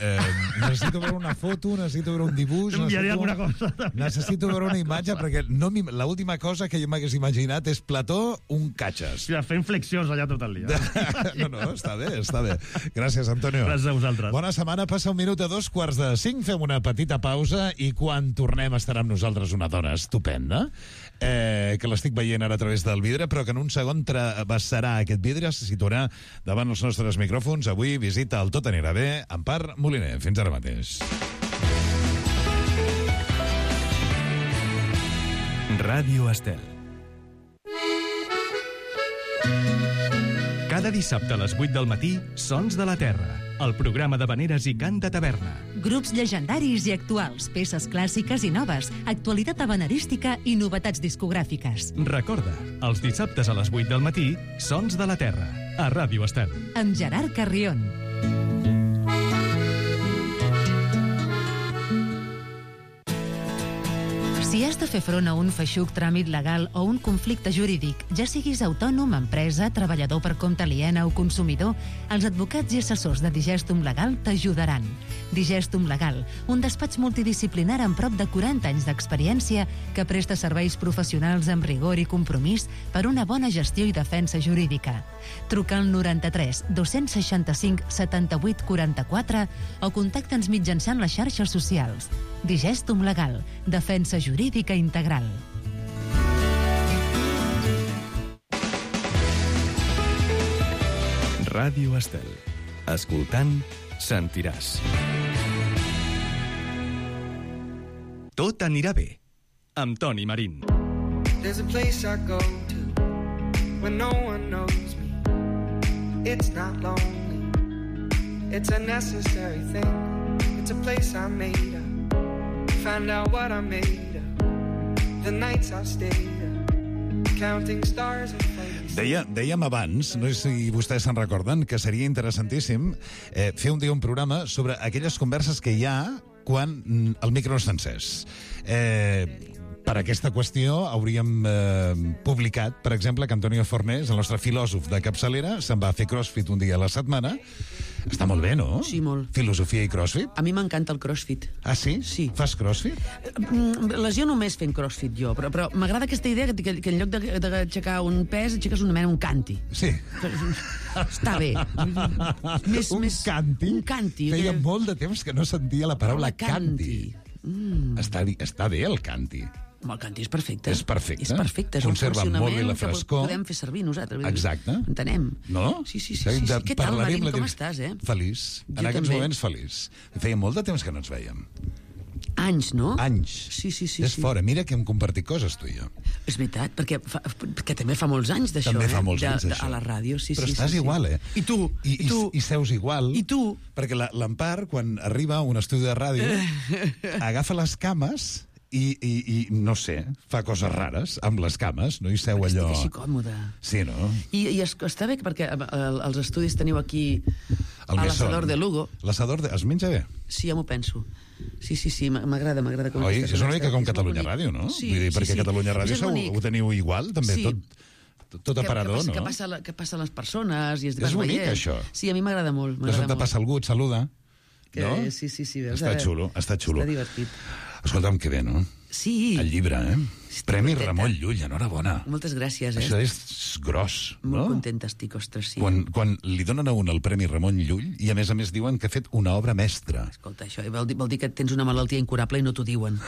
Speaker 7: necessito veure una foto, necessito veure un dibuix...
Speaker 8: T'enviaré alguna cosa.
Speaker 7: Necessito veure una imatge, perquè l'última cosa que jo m'hagués imaginat és Plató, un catxes.
Speaker 8: Sí, fent flexions allà tot el dia.
Speaker 7: No, està bé. Gràcies, Antonio.
Speaker 8: Gràcies a vosaltres.
Speaker 7: Bona setmana, passa 1 minut a 2:45, fem una petita pausa i quan tornem estarà amb nosaltres una dona estupenda, que l'estic veient ara a través del vidre, però que en un segon travessarà aquest vidre, se situarà davant els nostres micròfons. Avui visita el Tot anirà bé, Empar Moliner. Fins ara mateix.
Speaker 1: Ràdio Estel. Cada dissabte a les 8 del matí, Sons de la Terra, el programa de veneres i cant de taverna.
Speaker 5: Grups llegendaris i actuals, peces clàssiques i noves, actualitat habanerística i novetats discogràfiques.
Speaker 1: Recorda, els dissabtes a les 8 del matí, Sons de la Terra, a Ràdio Estel.
Speaker 5: Amb Gerard Carrion. Si has de fer front a un feixuc tràmit legal o un conflicte jurídic, ja siguis autònom, empresa, treballador per compte aliena o consumidor, els advocats i assessors de Digestum Legal t'ajudaran. Digestum Legal, un despatx multidisciplinar amb prop de 40 anys d'experiència que presta serveis professionals amb rigor i compromís per una bona gestió i defensa jurídica. Truca al 93 265 78 44 o contacta'ns mitjançant les xarxes socials. Digestum Legal, defensa jurídica integral.
Speaker 1: Ràdio Estel. Escoltant, sentiràs. Tot anirà bé, amb Toni Marín.
Speaker 9: There's a place I go to when no one knows me. It's not lonely. It's a necessary thing. It's a place I made up. Find out what I made of. The nights I've stayed up. Counting stars and flames.
Speaker 7: Dèiem abans, no sé si vostès se'n recorden, que seria interessantíssim fer un dia un programa sobre aquelles converses que hi ha quan el micro no està encès. Per aquesta qüestió hauríem publicat, per exemple, que Antonio Fornés, el nostre filòsof de capçalera, se'n va fer crossfit un dia a la setmana. Està molt bé, no?
Speaker 10: Sí, molt.
Speaker 7: Filosofia i crossfit?
Speaker 10: A mi m'encanta el crossfit.
Speaker 7: Ah, sí?
Speaker 10: Sí.
Speaker 7: Fas crossfit?
Speaker 10: Lesió només fent crossfit jo, però m'agrada aquesta idea que en lloc d'aixecar un pes, aixeques una mena un canti.
Speaker 7: Sí.
Speaker 10: Està bé.
Speaker 7: Un canti?
Speaker 10: Un canti.
Speaker 7: Feia molt de temps que no sentia la paraula canti. Està bé el canti.
Speaker 10: El canti és perfecte.
Speaker 7: És perfecte.
Speaker 10: És perfecte. És
Speaker 7: conserva
Speaker 10: un
Speaker 7: molt bé la
Speaker 10: funcionament que
Speaker 7: frescor.
Speaker 10: podem fer servir nosaltres.
Speaker 7: Exacte.
Speaker 10: Entenem.
Speaker 7: No?
Speaker 10: Sí. Què tal, Marín? Com estàs,
Speaker 7: Feliç. En aquests moments feliç. Feia molt de temps que no ens veiem.
Speaker 10: Anys, no?
Speaker 7: Anys.
Speaker 10: Sí.
Speaker 7: És fora. Mira que hem compartit coses, tu i jo.
Speaker 10: És veritat, perquè també fa molts anys d'això.
Speaker 7: També fa molts anys d'això.
Speaker 10: A la ràdio, sí.
Speaker 7: Però estàs igual,
Speaker 10: I tu?
Speaker 7: I seus igual.
Speaker 10: I tu?
Speaker 7: Perquè l'Empar, quan arriba a un estudi de ràdio, agafa les cames i no sé, fa coses rares amb les cames, no? I seu allò...
Speaker 10: Estic així còmode.
Speaker 7: Sí, no?
Speaker 10: I està bé perquè els estudis teniu aquí
Speaker 7: El
Speaker 10: a
Speaker 7: mesón.
Speaker 10: l'assador de Lugo.
Speaker 7: L'assador es menja bé?
Speaker 10: Sí, ja m'ho penso. Sí, m'agrada.
Speaker 7: Oi? És una mica com Catalunya Ràdio, no?
Speaker 10: Sí,
Speaker 7: Vull dir, perquè
Speaker 10: sí.
Speaker 7: Catalunya Ràdio ho teniu igual, també,
Speaker 10: Sí.
Speaker 7: tot aparador, no?
Speaker 10: Que passa a les persones i es
Speaker 7: És bonic, això.
Speaker 10: Sí, a mi m'agrada molt.
Speaker 7: De sobte passa algú, et saluda. No?
Speaker 10: Sí, veus?
Speaker 7: Està xulo.
Speaker 10: Està divertit.
Speaker 7: Escolta'm, que bé, no?
Speaker 10: Sí.
Speaker 7: El llibre,
Speaker 10: Estic
Speaker 7: Premi
Speaker 10: contenta.
Speaker 7: Ramon Llull, enhorabona.
Speaker 10: Moltes gràcies,
Speaker 7: Això és gros, no?
Speaker 10: Molt contenta estic, ostres, sí.
Speaker 7: Quan li donen a un el Premi Ramon Llull, i a més diuen que ha fet una obra mestra.
Speaker 10: Escolta, això vol dir que tens una malaltia incurable i no t'ho diuen.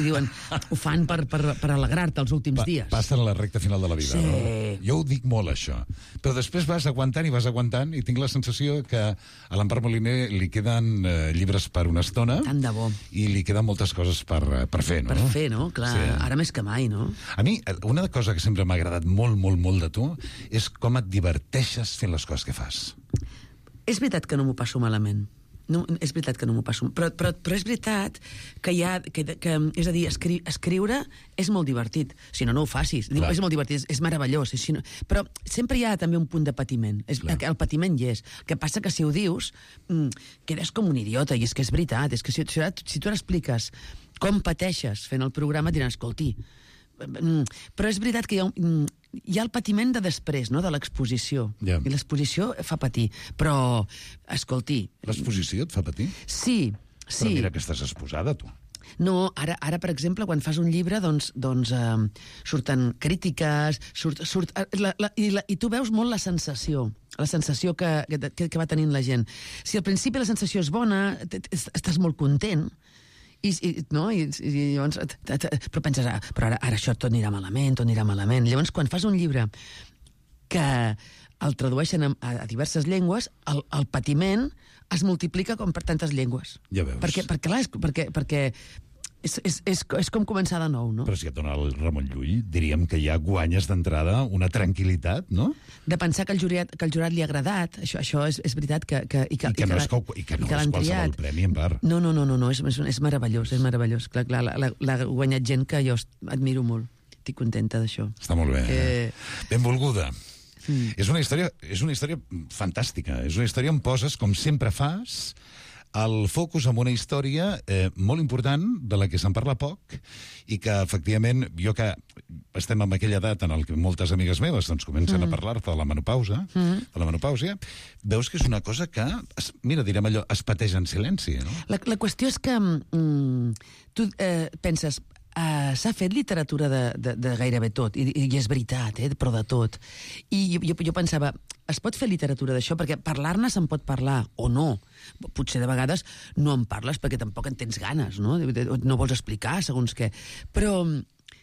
Speaker 10: Diuen, ho fan per alegrar-te els últims dies.
Speaker 7: Passen a la recta final de la vida,
Speaker 10: Sí.
Speaker 7: no? Jo ho dic molt, això. Però després vas aguantant, i tinc la sensació que a l'Empar Moliner li queden llibres per una estona.
Speaker 10: Tant de bo.
Speaker 7: I li queden moltes coses per fer, no?
Speaker 10: Per fer, no? Clar,
Speaker 7: Sí.
Speaker 10: ara més que mai, no?
Speaker 7: A mi, una cosa que sempre m'ha agradat molt, molt, molt de tu és com et diverteixes fent les coses que fas.
Speaker 10: És veritat que no m'ho passo malament. No, és veritat que no m'ho passo. Però és veritat que és a dir, escriure és molt divertit. Si no ho facis. Dic, és molt divertit, és meravellós. Però sempre hi ha també un punt de patiment. El patiment hi és. El que passa que si ho dius, quedes com un idiota, i és que és veritat. És que si tu expliques com pateixes fent el programa, diran, escolti, però és veritat que hi ha el patiment de després, no?, de l'exposició.
Speaker 7: Ja.
Speaker 10: I l'exposició fa patir. Però, escolti...
Speaker 7: L'exposició et fa patir?
Speaker 10: Sí.
Speaker 7: Però mira que estàs exposada, tu.
Speaker 10: No, ara, per exemple, quan fas un llibre, doncs surten crítiques, i tu veus molt la sensació que va tenint la gent. Si al principi la sensació és bona, estàs molt content, i llavors però penses, però ara això tot anirà malament. Llavors, quan fas un llibre que el tradueixen a diverses llengües, el patiment es multiplica com per tantes llengües.
Speaker 7: Ja veus.
Speaker 10: Perquè és com començar de nou, no?
Speaker 7: Però si et dona el Ramon Llull, diríem que ja guanyes d'entrada una tranquil·litat, no?
Speaker 10: De pensar que el jurat li ha agradat, això és veritat que
Speaker 7: no és qualsevol premi, en part.
Speaker 10: No, és meravellós, és meravellós. Clar, l'ha guanyat gent que jo admiro molt. Estic contenta d'això.
Speaker 7: Està molt bé. Benvolguda. És una història fantàstica. És una història on poses, com sempre fas, el focus en una història molt important, de la que se'n parla poc, i que, efectivament, jo que estem en aquella edat en què moltes amigues meves doncs, comencen a parlar-te de la menopausa, veus que és una cosa que, mira, direm allò, es pateix en silenci, no?
Speaker 10: La qüestió és que tu penses, s'ha fet literatura de gairebé tot, i és veritat, però de tot. I jo pensava, es pot fer literatura d'això? Perquè parlar-ne se'n pot parlar, o no. Potser de vegades no en parles perquè tampoc en tens ganes, no? No vols explicar, segons què. Però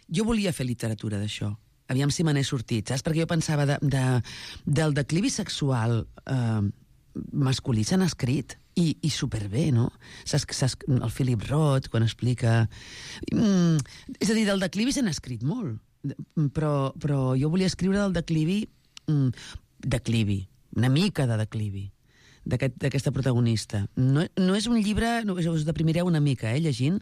Speaker 10: jo volia fer literatura d'això. Aviam si me n'he sortit, saps? Perquè jo pensava del declivi sexual masculí s'han escrit, i superbé, no? El Philip Roth, quan explica... És a dir, del declivi s'han escrit molt, però jo volia escriure del declivi, una mica de declivi, d'aquesta protagonista. No és un llibre, us deprimireu una mica, llegint,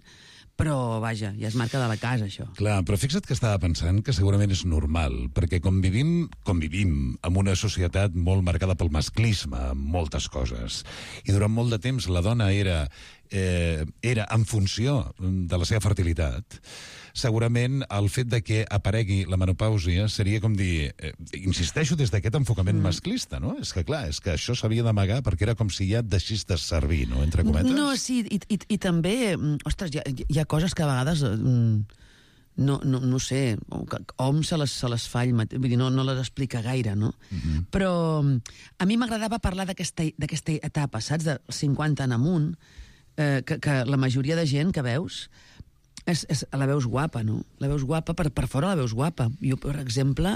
Speaker 10: però, vaja, ja es marca de la casa, això.
Speaker 7: Clar, però fixa't que estava pensant que segurament és normal, perquè convivim en una societat molt marcada pel masclisme, en moltes coses. I durant molt de temps la dona era en funció de la seva fertilitat. Segurament el fet de que aparegui la menopàusia seria com dir, insisteixo des d'aquest enfocament masclista, no? És que clar, és que això s'havia d'amagar perquè era com si ja et deixés de servir, no? Entre cometes.
Speaker 10: No, sí, i també, ostres, hi ha coses que a vegades no sé, hom se les fa ell mateix, vull dir, no les explica gaire, no? Però a mi m'agradava parlar d'aquesta etapa, saps? De 50 en amunt, que la majoria de gent que veus la veus guapa, no? La veus guapa, per fora la veus guapa. Jo, per exemple,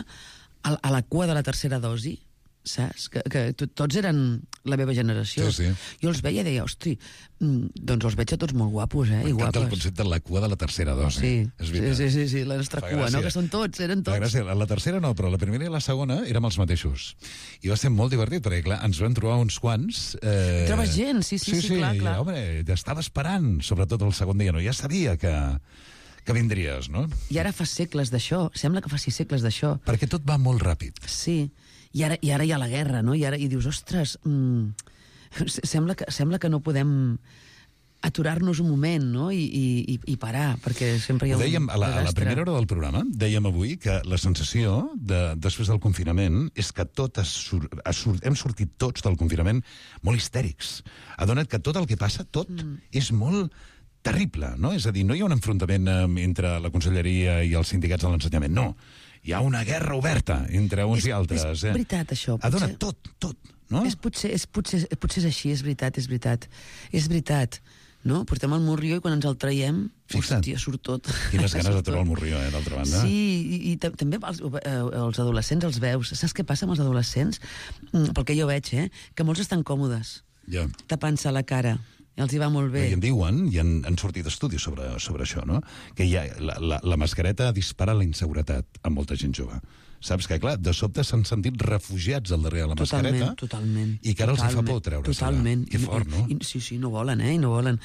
Speaker 10: a la cua de la tercera dosi, saps? Que tots eren la meva generació.
Speaker 7: Sí.
Speaker 10: Jo els veia i deia, hosti, doncs els veig a tots molt guapos, i guapes.
Speaker 7: M'encanta el concepte de la cua de la tercera dosi.
Speaker 10: Sí, la nostra cua, no? Que són tots, eren tots.
Speaker 7: Gràcies. La tercera no, però la primera i la segona érem els mateixos. I va ser molt divertit, perquè, clar, ens vam trobar uns quants...
Speaker 10: Trobes gent, sí, clar.
Speaker 7: I, home, t'estava esperant, sobretot el segon dia, no? Ja sabia que vindries, no?
Speaker 10: I ara fa segles d'això, sembla que faci segles d'això.
Speaker 7: Perquè tot va molt ràpid.
Speaker 10: Sí, i ara hi ha la guerra, no? I dius, ostres, sembla que no podem aturar-nos un moment, no? I parar, perquè sempre hi ha un
Speaker 7: dèiem, a la primera hora del programa, dèiem avui que la sensació després del confinament és que hem sortit tots del confinament molt histèrics. Adona't que tot el que passa, tot, és molt terrible, no? És a dir, no hi ha un enfrontament entre la Conselleria i els sindicats de l'ensenyament, no. Hi ha una guerra oberta entre uns i altres.
Speaker 10: És veritat, això.
Speaker 7: Adona't tot, no?
Speaker 10: Potser és així, és veritat. No? Portem el morrió i quan ens el traiem, hòstia, surt tot.
Speaker 7: Quines ganes de trobar el morrió, d'altra banda.
Speaker 10: Sí, i també els adolescents els veus. Saps què passa amb els adolescents? Pel que jo veig, que molts estan còmodes, tapant-se la cara. I els hi va molt bé.
Speaker 7: I en diuen, i han sortit estudis sobre això, no? Que la mascareta dispara la inseguretat a molta gent jove. Saps que, clar, de sobte s'han sentit refugiats al darrere de la mascareta.
Speaker 10: Totalment.
Speaker 7: I que ara els fa por treure-se-la.
Speaker 10: Totalment.
Speaker 7: Que fort, no?
Speaker 10: Sí, no volen, i no volen.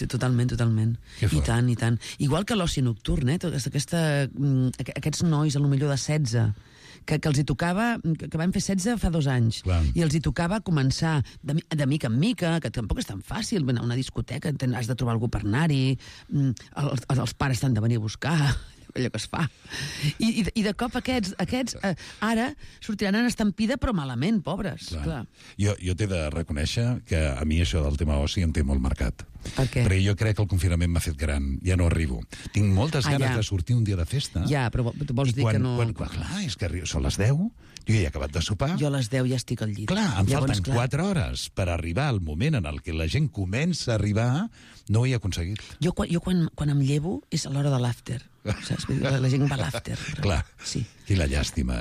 Speaker 10: Totalment. I tant. Igual que l'oci nocturn, aquests nois, a lo millor de 16, que els hi tocava, que van fer 16 fa 2 anys,
Speaker 7: clar,
Speaker 10: i els hi tocava començar de mica en mica, que tampoc és tan fàcil, anar a una discoteca, has de trobar algú per anar-hi, els pares t'han de venir a buscar, allò que es fa. I de cop aquests ara sortiran en estampida, però malament, pobres. Clar.
Speaker 7: Jo t'he de reconèixer que a mi això del tema oci em té molt marcat.
Speaker 10: Per què?
Speaker 7: Perquè jo crec que el confinament m'ha fet gran, ja no arribo. Tinc moltes ganes de sortir un dia de festa.
Speaker 10: Ja, però vols dir que no...
Speaker 7: Clar, és que són les 10, jo ja he acabat de sopar.
Speaker 10: Jo a les 10 ja estic al llit.
Speaker 7: Clar, em falten 4 hores per arribar al moment en el que la gent comença a arribar, no ho he aconseguit.
Speaker 10: Jo quan em llevo és a l'hora de l'after. Saps? La gent va a l'after.
Speaker 7: Clar,
Speaker 10: sí.
Speaker 7: I la llàstima,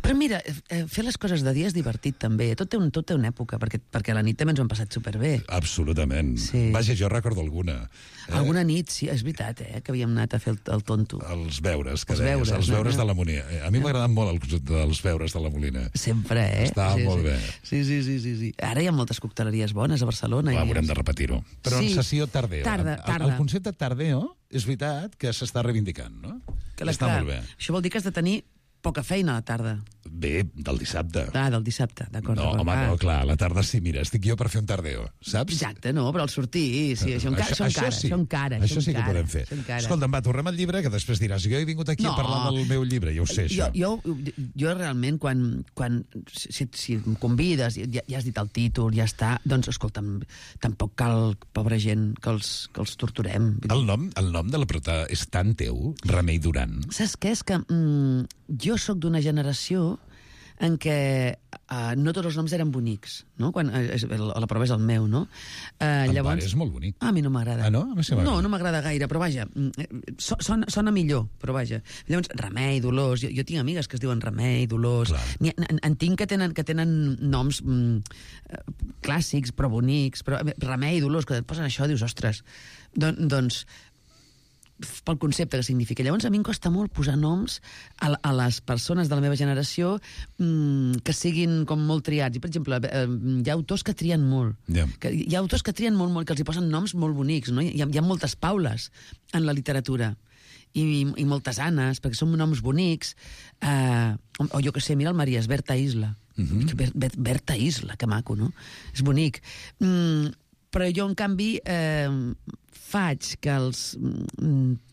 Speaker 10: Però mira, fer les coses de dia és divertit també. Tot té una època, perquè a la nit també ens ho hem passat superbé.
Speaker 7: Absolutament. Sí. Vaja, jo recordo alguna.
Speaker 10: Alguna nit, sí, és veritat, que havíem anat a fer el tonto.
Speaker 7: Els beures, que deies, els beures de la Molina. A mi m'agraden molt els beures de la Molina.
Speaker 10: Sempre,
Speaker 7: Estava molt bé.
Speaker 10: Sí. Ara hi ha moltes cocteleries bones a Barcelona.
Speaker 7: Haurem de repetir-ho. Però en sessió tardeo.
Speaker 10: Tarda.
Speaker 7: El concepte tardeo és veritat que s'està reivindicant, no? Està molt bé.
Speaker 10: Això vol dir que has de tenir poca feina a la tarda.
Speaker 7: Bé, del dissabte.
Speaker 10: Del dissabte, d'acord.
Speaker 7: No, home, no, clar, a la tarda sí, mira, estic jo per fer un tardeo, saps?
Speaker 10: Exacte, no, però al sortir, sí, això encara.
Speaker 7: Això sí que podem fer. Escolta'm, va, tornem al llibre, que després diràs, jo he vingut aquí a parlar del meu llibre, ja ho sé, això.
Speaker 10: Jo realment, si em convides, ja has dit el títol, ja està, doncs, escolta'm, tampoc cal, pobra gent, que els torturem.
Speaker 7: El nom de la prota és tan teu, Remei Duran.
Speaker 10: Saps què? És que jo sóc d'una generació en què no tots els noms eren bonics, no? La prova és el meu, no?
Speaker 7: El pare és molt bonic.
Speaker 10: A mi no m'agrada.
Speaker 7: Ah, no?
Speaker 10: No m'agrada gaire, però vaja, sona millor, però vaja. Llavors, Remei, Dolors, jo tinc amigues que es diuen Remei, Dolors, en tinc que tenen noms clàssics, però bonics, però Remei, Dolors, que et posen això, dius, ostres, doncs pel concepte que significa. Llavors, a mi em costa molt posar noms a les persones de la meva generació que siguin com molt triats. I, per exemple, hi ha autors que trien molt. Hi ha autors que trien molt, que els hi posen noms molt bonics, no? Hi ha moltes Paules en la literatura. I moltes Annes, perquè són noms bonics. O jo que sé, mira el Maries, Berta Isla. Berta Isla, que maco, no? És bonic. Però jo, en canvi, faig que els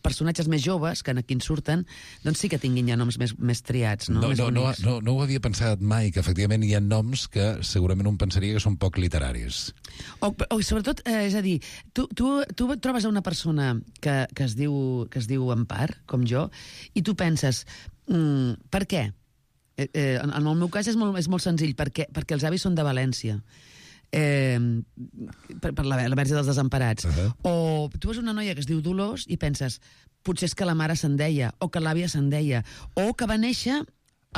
Speaker 10: personatges més joves, que aquí en surten, doncs sí que tinguin ja noms més triats, no?
Speaker 7: No ho havia pensat mai, que efectivament hi ha noms que segurament un pensaria que són poc literaris.
Speaker 10: O sobretot, és a dir, tu trobes a una persona que es diu Empar, com jo, i tu penses, per què? En el meu cas és molt senzill, perquè els avis són de València. Per la Verge dels Desemparats. O tu veus una noia que es diu Dolors i penses, potser és que la mare se'n deia, o que l'àvia se'n deia, o que va néixer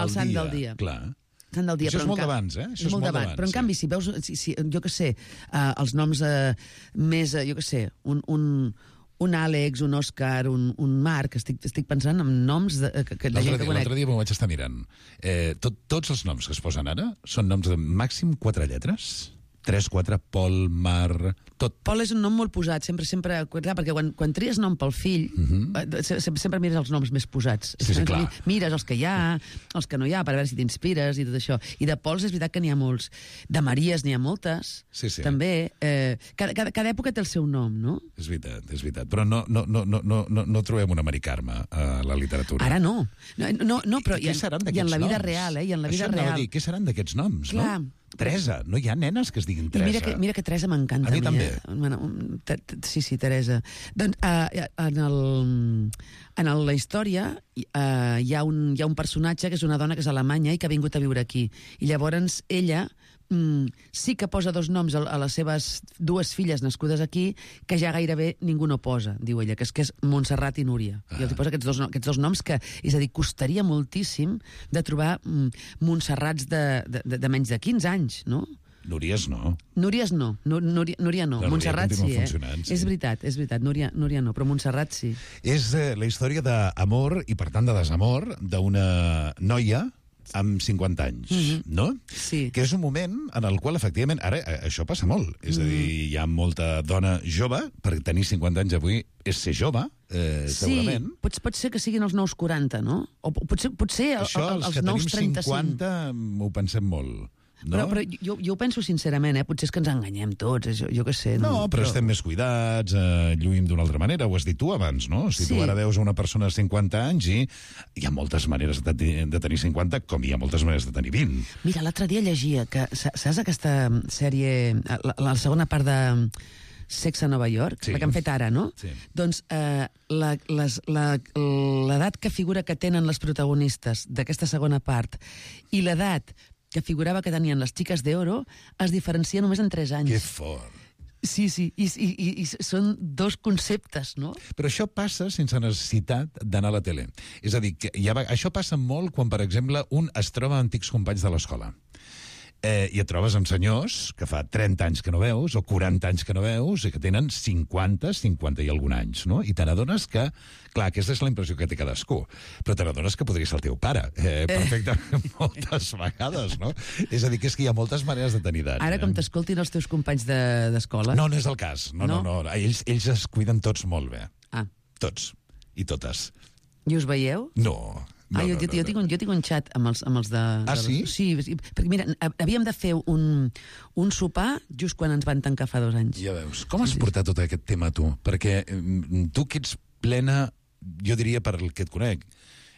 Speaker 10: el sant del dia.
Speaker 7: Clar.
Speaker 10: Sant del dia.
Speaker 7: Això és molt d'abans,
Speaker 10: Això és molt d'abans. Però en canvi, si veus, jo que sé, els noms més, jo que sé, un Àlex, un Òscar, un Marc, estic pensant en noms de gent que conec.
Speaker 7: L'altre dia m'ho vaig estar mirant. Tots els noms que es posen ara són noms de màxim 4 lletres. 3, 4, Pol, Mar... Tot.
Speaker 10: Pol és un nom molt posat, sempre, clar, perquè quan tries nom pel fill, sempre mires els noms més posats.
Speaker 7: Sí, clar.
Speaker 10: Mires els que hi ha, els que no hi ha, per veure si t'inspires i tot això. I de Pols és veritat que n'hi ha molts. De Maries n'hi ha moltes, també. Cada època té el seu nom, no?
Speaker 7: És veritat. Però no trobem una Mari Carme a la literatura.
Speaker 10: Ara no. No, però i en la vida
Speaker 7: noms?
Speaker 10: real, I en la vida
Speaker 7: Això
Speaker 10: real.
Speaker 7: Què seran d'aquests noms,
Speaker 10: Clar.
Speaker 7: no? Teresa, no hi ha nenes que es diguin Teresa.
Speaker 10: I mira que Teresa m'encanta.
Speaker 7: A mi també.
Speaker 10: Sí, Teresa. Doncs en la història hi ha un personatge que és una dona que és alemanya i que ha vingut a viure aquí. I llavors ella sí que posa 2 noms a les seves 2 filles nascudes aquí, que ja gairebé ningú no posa, diu ella, que és Montserrat i Núria. I els posa aquests dos noms que, és a dir, costaria moltíssim de trobar Montserrats de menys de 15 anys, no?
Speaker 7: Núries no.
Speaker 10: Núria no. Montserrat sí,
Speaker 7: sí.
Speaker 10: És veritat. Núria no, però Montserrat sí.
Speaker 7: És la història d'amor i, per tant, de desamor d'una noia amb 50 anys, no?
Speaker 10: Sí.
Speaker 7: Que és un moment en el qual, efectivament, ara això passa molt. És a dir, hi ha molta dona jove, per tenir 50 anys avui és ser jove, segurament.
Speaker 10: Sí, pot ser que siguin els nous 40, no? O potser
Speaker 7: això, els
Speaker 10: els nous 35.
Speaker 7: que tenim 50 ho pensem molt. No?
Speaker 10: Però jo ho penso sincerament, potser és que ens enganyem tots, jo què sé.
Speaker 7: No, però estem més cuidats, lluïm d'una altra manera, ho has dit tu abans, no? Si tu ara veus una persona de 50 anys i hi ha moltes maneres de tenir 50, com hi ha moltes maneres de tenir 20.
Speaker 10: Mira, l'altre dia llegia que, saps aquesta sèrie, la segona part de Sex a Nova York, la que han fet ara, no?
Speaker 7: Sí.
Speaker 10: Doncs l'edat que figura que tenen les protagonistes d'aquesta segona part i l'edat que figurava que tenien les xiques d'Oro es diferencia només en 3 anys.
Speaker 7: Que fort.
Speaker 10: Sí, i són 2 conceptes, no?
Speaker 7: Però això passa sense necessitat d'anar a la tele. És a dir, que això passa molt quan, per exemple, un es troba amb antics companys de l'escola. I et trobes amb senyors que fa 30 anys que no veus, o 40 anys que no veus, i que tenen 50 i algun anys, no? I te n'adones que, clar, aquesta és la impressió que té cadascú, però te n'adones que podria ser el teu pare, perfectament, moltes vegades, no? És a dir, que és que hi ha moltes maneres de tenir edat.
Speaker 10: Ara, com t'escoltin els teus companys d'escola...
Speaker 7: No és el cas. No. Ells es cuiden tots molt bé. Tots. I totes.
Speaker 10: I us veieu?
Speaker 7: No.
Speaker 10: Jo tinc un xat amb els de...
Speaker 7: Sí?
Speaker 10: Sí, perquè mira, havíem de fer un sopar just quan ens van tancar fa 2 anys.
Speaker 7: Ja veus. Com has portat tot aquest tema, tu? Perquè tu que ets plena, jo diria, per el que et conec,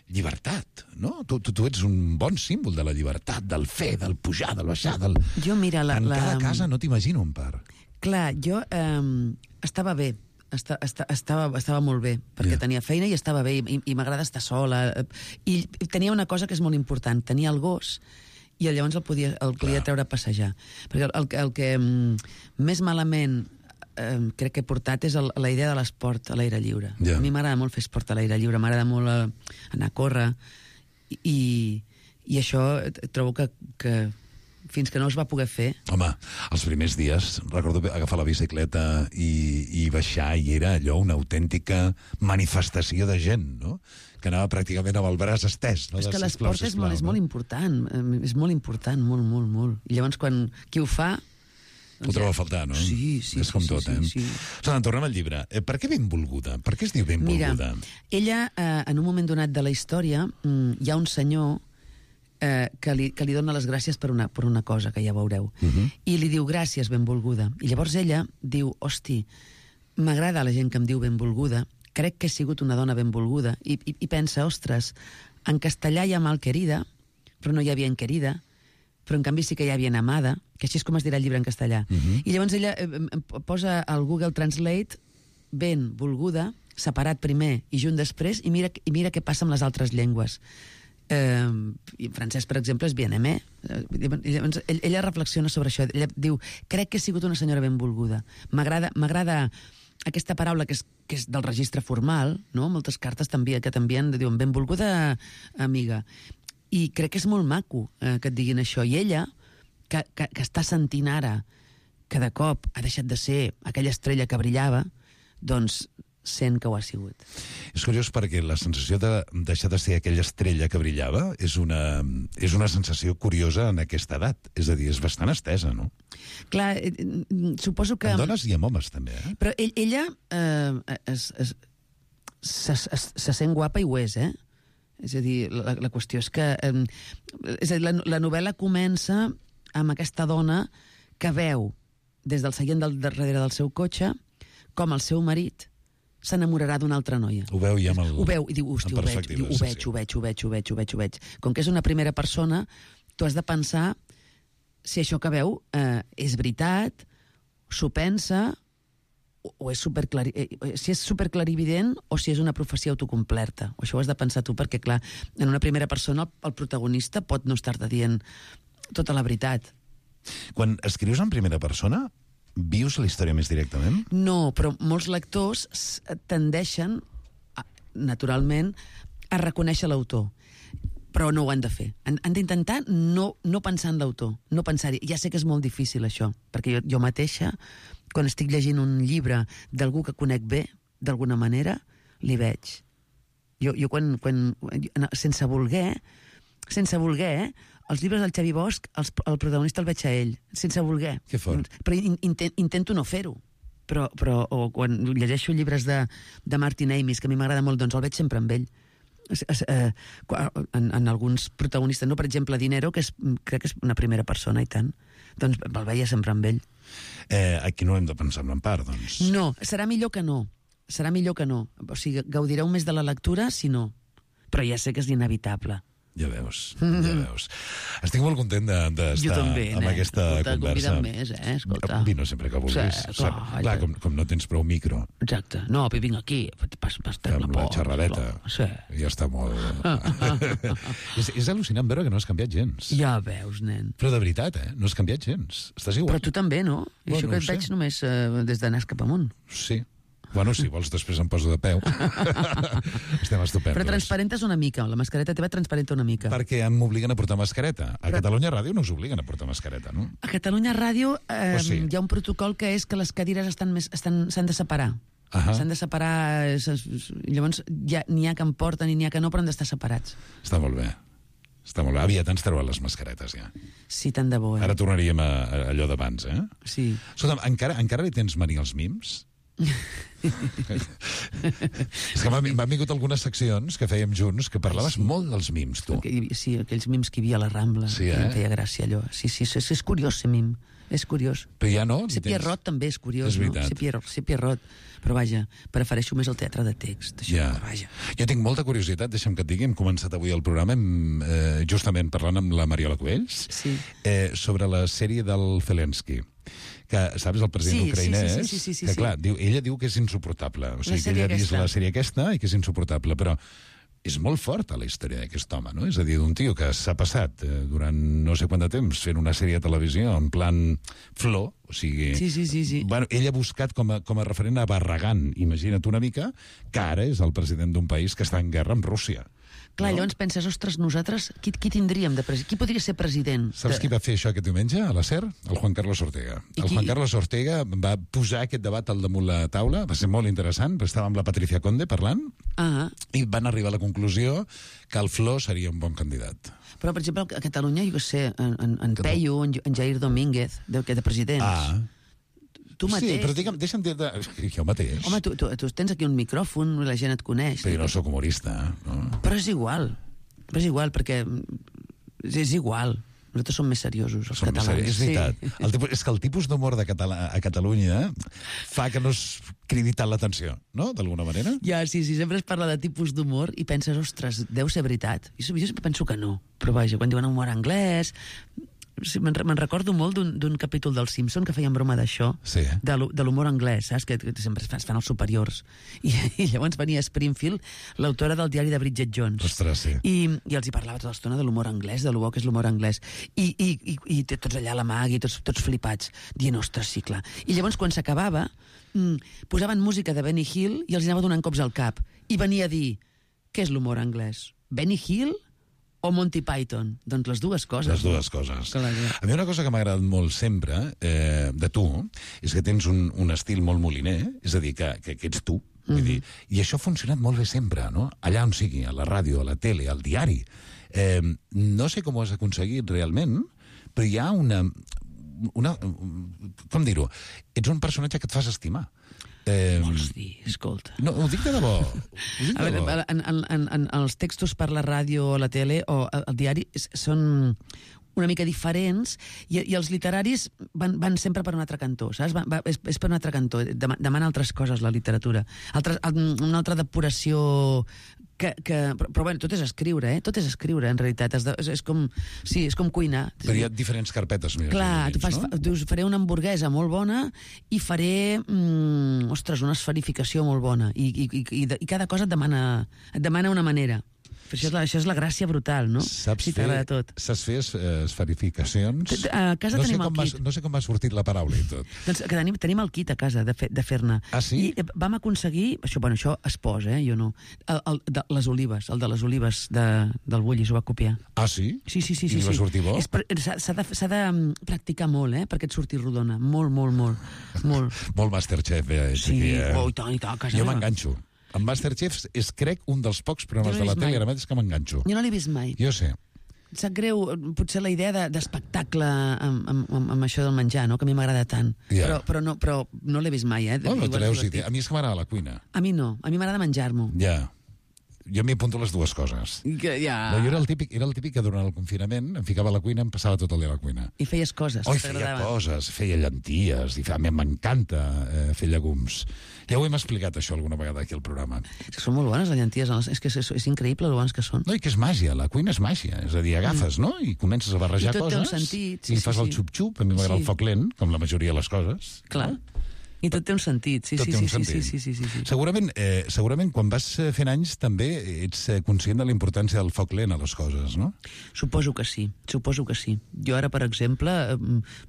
Speaker 7: llibertat, no? Tu ets un bon símbol de la llibertat, del fer, del pujar, del baixar, del...
Speaker 10: Jo, mira,
Speaker 7: en cada casa no t'imagino un par.
Speaker 10: Clar, jo estava bé. Estava molt bé, perquè tenia feina i estava bé, i m'agrada estar sola. I tenia una cosa que és molt important, tenia el gos, i llavors el podia treure a passejar. Perquè el que més malament crec que he portat és la idea de l'esport a l'aire lliure. A mi m'agrada molt fer esport a l'aire lliure, m'agrada molt anar a córrer, i això trobo que fins que no es va poder fer.
Speaker 7: Home, els primers dies, recordo agafar la bicicleta i baixar, i era allò una autèntica manifestació de gent, no? Que anava pràcticament amb el braç estès. No?
Speaker 10: És que l'esport és molt important, és molt important, molt. I llavors, quan qui ho fa...
Speaker 7: Ho troba a faltar, no?
Speaker 10: Sí.
Speaker 7: És com tot,
Speaker 10: Sí.
Speaker 7: Tornem al llibre. Per què Benvolguda? Per què es diu Benvolguda?
Speaker 10: Mira, ella, en un moment donat de la història, hi ha un senyor que li dona les gràcies per una cosa, que ja veureu. I li diu, gràcies, benvolguda. I llavors ella diu, hosti, m'agrada la gent que em diu benvolguda, crec que he sigut una dona benvolguda, i pensa, ostres, en castellà hi ha malquerida, però no hi havia enquerida, però en canvi sí que hi havia amada, que així és com es dirà el llibre en castellà. I llavors ella posa al Google Translate benvolguda, separat primer i junt després, i mira què passa amb les altres llengües. I en francès, per exemple, és bien-aimé. Ella reflexiona sobre això. Ella diu, crec que he sigut una senyora benvolguda. M'agrada aquesta paraula que és del registre formal, no? Moltes cartes que t'envien, diuen benvolguda amiga. I crec que és molt maco que et diguin això. I ella, que està sentint ara que de cop ha deixat de ser aquella estrella que brillava, doncs sent que ho ha sigut.
Speaker 7: És curiós perquè la sensació de deixar de ser aquella estrella que brillava és una sensació curiosa en aquesta edat. És a dir, és bastant estesa, no?
Speaker 10: Clar, suposo que...
Speaker 7: En dones i en homes, també, eh?
Speaker 10: Però ella se sent guapa i ho és, És a dir, la qüestió és que... És a dir, la novel·la comença amb aquesta dona que veu des del seient del darrere del seu cotxe com el seu marit s'enamorarà d'una altra noia.
Speaker 7: Ho veu ja amb el...
Speaker 10: Ho veu i diu, hòstia, ho veig. Com que és una primera persona, tu has de pensar si això que veu és veritat, s'ho pensa, o és si és superclarivident o si és una profecia autocomplerta. Això ho has de pensar tu, perquè, clar, en una primera persona el protagonista pot no estar-te dient tota la veritat.
Speaker 7: Quan escrius en primera persona, vius la història més directament?
Speaker 10: No, però molts lectors tendeixen, naturalment, a reconèixer l'autor. Però no ho han de fer. Han d'intentar no pensar en l'autor, no pensar-hi. Ja sé que és molt difícil, això, perquè jo mateixa, quan estic llegint un llibre d'algú que conec bé, d'alguna manera, li veig. Jo quan sense voler, els llibres del Xavi Bosch, el protagonista el veig a ell, sense voler.
Speaker 7: Que fort.
Speaker 10: Però intento no fer-ho. O quan llegeixo llibres de Martin Amis, que a mi m'agrada molt, doncs el veig sempre amb ell. En alguns protagonistes, no? Per exemple, Dinero, crec que és una primera persona, i tant. Doncs el veia sempre amb ell.
Speaker 7: Aquí no hem de pensar en part, doncs.
Speaker 10: No, serà millor que no. O sigui, gaudireu més de la lectura si no. Però ja sé que és inevitable.
Speaker 7: Ja veus. Estic molt content d'estar amb aquesta conversa.
Speaker 10: Més, escolta.
Speaker 7: Vine sempre que vulguis.
Speaker 10: Sí, clar,
Speaker 7: com no tens prou micro.
Speaker 10: Exacte. No, vinc aquí,
Speaker 7: amb la xerradeta.
Speaker 10: Sí.
Speaker 7: Ja està molt... és al·lucinant veure que no has canviat gens.
Speaker 10: Ja veus, nen.
Speaker 7: Però de veritat, no has canviat gens. Estàs igual.
Speaker 10: Però tu també, no? I això que et veig només des de nas cap amunt.
Speaker 7: Sí. Bueno, si vols, després em poso de peu. Estem estupendos.
Speaker 10: Però transparentes una mica, la mascareta teva transparenta una mica.
Speaker 7: Perquè m'obliguen a portar mascareta. A Catalunya Ràdio no us obliguen a portar mascareta, no?
Speaker 10: A Catalunya Ràdio
Speaker 7: sí.
Speaker 10: Hi ha un protocol que és que les cadires s'han de separar. S'han de separar... Llavors, n'hi ha que en porten i n'hi ha que no, però han d'estar separats.
Speaker 7: Està molt bé. Aviat ens treuen les mascaretes, ja.
Speaker 10: Sí, tant de bo,
Speaker 7: Ara tornaríem a allò d'abans,
Speaker 10: Sí.
Speaker 7: Escolta'm, encara li tens mania als mims? És que m'han vingut algunes seccions que fèiem junts que parlaves molt dels mims, tu.
Speaker 10: Sí, aquells mims que hi havia a la Rambla.
Speaker 7: Sí,
Speaker 10: em feia gràcia, allò. Sí, és curiós ser mim. És curiós.
Speaker 7: Però ja no?
Speaker 10: Ser Pierrot també és curiós,
Speaker 7: és veritat.
Speaker 10: No? Ser Pierrot. Però vaja, prefereixo més el teatre de text. Això,
Speaker 7: ja.
Speaker 10: Vaja.
Speaker 7: Jo tinc molta curiositat, deixa'm que et digui, hem començat avui el programa justament parlant amb la Mariola Cubells sobre la sèrie del Zelensky, que, saps, el president ucraïnès, que clar, ella diu que és insuportable. O sigui, que ella ha vist la sèrie aquesta i que és insuportable, però és molt forta la història d'aquest home, no? És a dir, d'un tio que s'ha passat durant no sé quant de temps fent una sèrie de televisió en plan flor, o sigui...
Speaker 10: Sí.
Speaker 7: Bueno, ell ha buscat com a referent a Barragán, imagina't una mica, que ara és el president d'un país que està en guerra amb Rússia.
Speaker 10: Clar, llavors penses, ostres, nosaltres, qui tindríem de president? Qui podria ser president?
Speaker 7: Saps qui va fer això aquest diumenge a la SER? El Juan Carlos Ortega. Juan Carlos Ortega va posar aquest debat al damunt la taula, va ser molt interessant, perquè estava amb la Patricia Conde parlant, i van arribar a la conclusió que el Flor seria un bon candidat.
Speaker 10: Però, per exemple, a Catalunya, jo què sé, en Peyu, en Jair Domínguez, de presidents... Tu mateix.
Speaker 7: Sí, però deixa'm dir-te... Jo mateix.
Speaker 10: Home, tu tens aquí un micròfon, la gent et coneix.
Speaker 7: Però jo no soc humorista, no?
Speaker 10: Però és igual, perquè és igual. Nosaltres som més seriosos, els catalans.
Speaker 7: És veritat. Sí. És que el tipus d'humor a Catalunya fa que no es cridi tant l'atenció, no? D'alguna manera.
Speaker 10: Ja, sí, sempre es parla de tipus d'humor i penses, ostres, deu ser veritat. Jo sempre penso que no. Però vaja, quan diuen humor anglès... Me'n recordo molt d'un capítol dels Simpson que feien broma d'això, de l'humor anglès, saps? Que sempre es fan els superiors. I llavors venia Springfield, l'autora del diari de Bridget Jones.
Speaker 7: Ostres, sí.
Speaker 10: I els hi parlava tota l'estona de l'humor anglès, de lo bo que és l'humor anglès. I tots allà a la Maggie, tots flipats, dient, ostres, sí, clar. I llavors, quan s'acabava, posaven música de Benny Hill i els anava donant cops al cap. I venia a dir, què és l'humor anglès? Benny Hill o Monty Python? Doncs les dues coses.
Speaker 7: Les dues coses. A mi una cosa que m'ha agradat molt sempre de tu és que tens un estil molt moliner, és a dir, que ets tu, Vull dir, i això ha funcionat molt bé sempre, no? Allà on sigui, a la ràdio, a la tele, al diari. No sé com ho has aconseguit realment, però hi ha una com dir-ho? Ets un personatge que et fas estimar.
Speaker 10: Vols dir, escolta.
Speaker 7: No, ho dic de debò.
Speaker 10: A veure, en els textos per la ràdio o la tele o el diari són una mica diferents i els literaris van sempre per un altre cantó, saps? És per un altre cantó, demana altres coses la literatura, una altra depuració però bueno, tot és escriure, tot és escriure en realitat, és com cuinar.
Speaker 7: Però hi ha diferents carpetes més.
Speaker 10: Clar, dius, faré una hamburguesa molt bona i faré una esferificació molt bona i cada cosa et demana una manera. Això és la gràcia brutal, no?
Speaker 7: Saps
Speaker 10: si t'agrada tot.
Speaker 7: Saps fer esferificacions?
Speaker 10: A casa tenim el kit.
Speaker 7: No sé com m'ha sortit la paraula i tot.
Speaker 10: Doncs que tenim el kit a casa de fer-ne.
Speaker 7: Ah, sí?
Speaker 10: I vam aconseguir, això es posa, jo no, el de les olives del Bullis, ho va copiar.
Speaker 7: Ah, sí?
Speaker 10: Sí.
Speaker 7: I va sortir bo?
Speaker 10: S'ha de practicar molt, perquè et surti rodona. Molt.
Speaker 7: Molt Masterchef,
Speaker 10: Sí, i tant, a casa
Speaker 7: jo
Speaker 10: meva.
Speaker 7: m'enganxo. En Masterchef és, crec, un dels pocs programes de la tele ara mateix que m'enganxo.
Speaker 10: Jo no l'he vist mai.
Speaker 7: Jo sé.
Speaker 10: Sap greu, potser la idea d'espectacle amb això del menjar, no? Que a mi m'agrada tant.
Speaker 7: Ja.
Speaker 10: Però no l'he vist mai,
Speaker 7: No treus idea. A mi és que m'agrada la cuina.
Speaker 10: A mi no, a mi m'agrada menjar-m'ho.
Speaker 7: Ja. Jo m'hi apunto les dues coses.
Speaker 10: Ja.
Speaker 7: No, jo era el típic que durant el confinament em ficava a la cuina i em passava tot el dia a la cuina.
Speaker 10: I feies coses.
Speaker 7: Feia coses, feia llenties, i a mi m'encanta fer llegums. Ja ho hem explicat, això, alguna vegada aquí al programa.
Speaker 10: És que són molt bones les llenties, és que és increïble el bones que són.
Speaker 7: No, i que és màgia, la cuina és màgia. És a dir, agafes, no?, i comences a barrejar coses.
Speaker 10: I tot té un sentit.
Speaker 7: I fas el xup-xup, a mi m'agrada el foc lent, com la majoria de les coses.
Speaker 10: Clar. I tot té un sentit, sí.
Speaker 7: Segurament quan vas fent anys també ets conscient de la importància del foc lent a les coses, no?
Speaker 10: Suposo que sí. Jo ara, per exemple,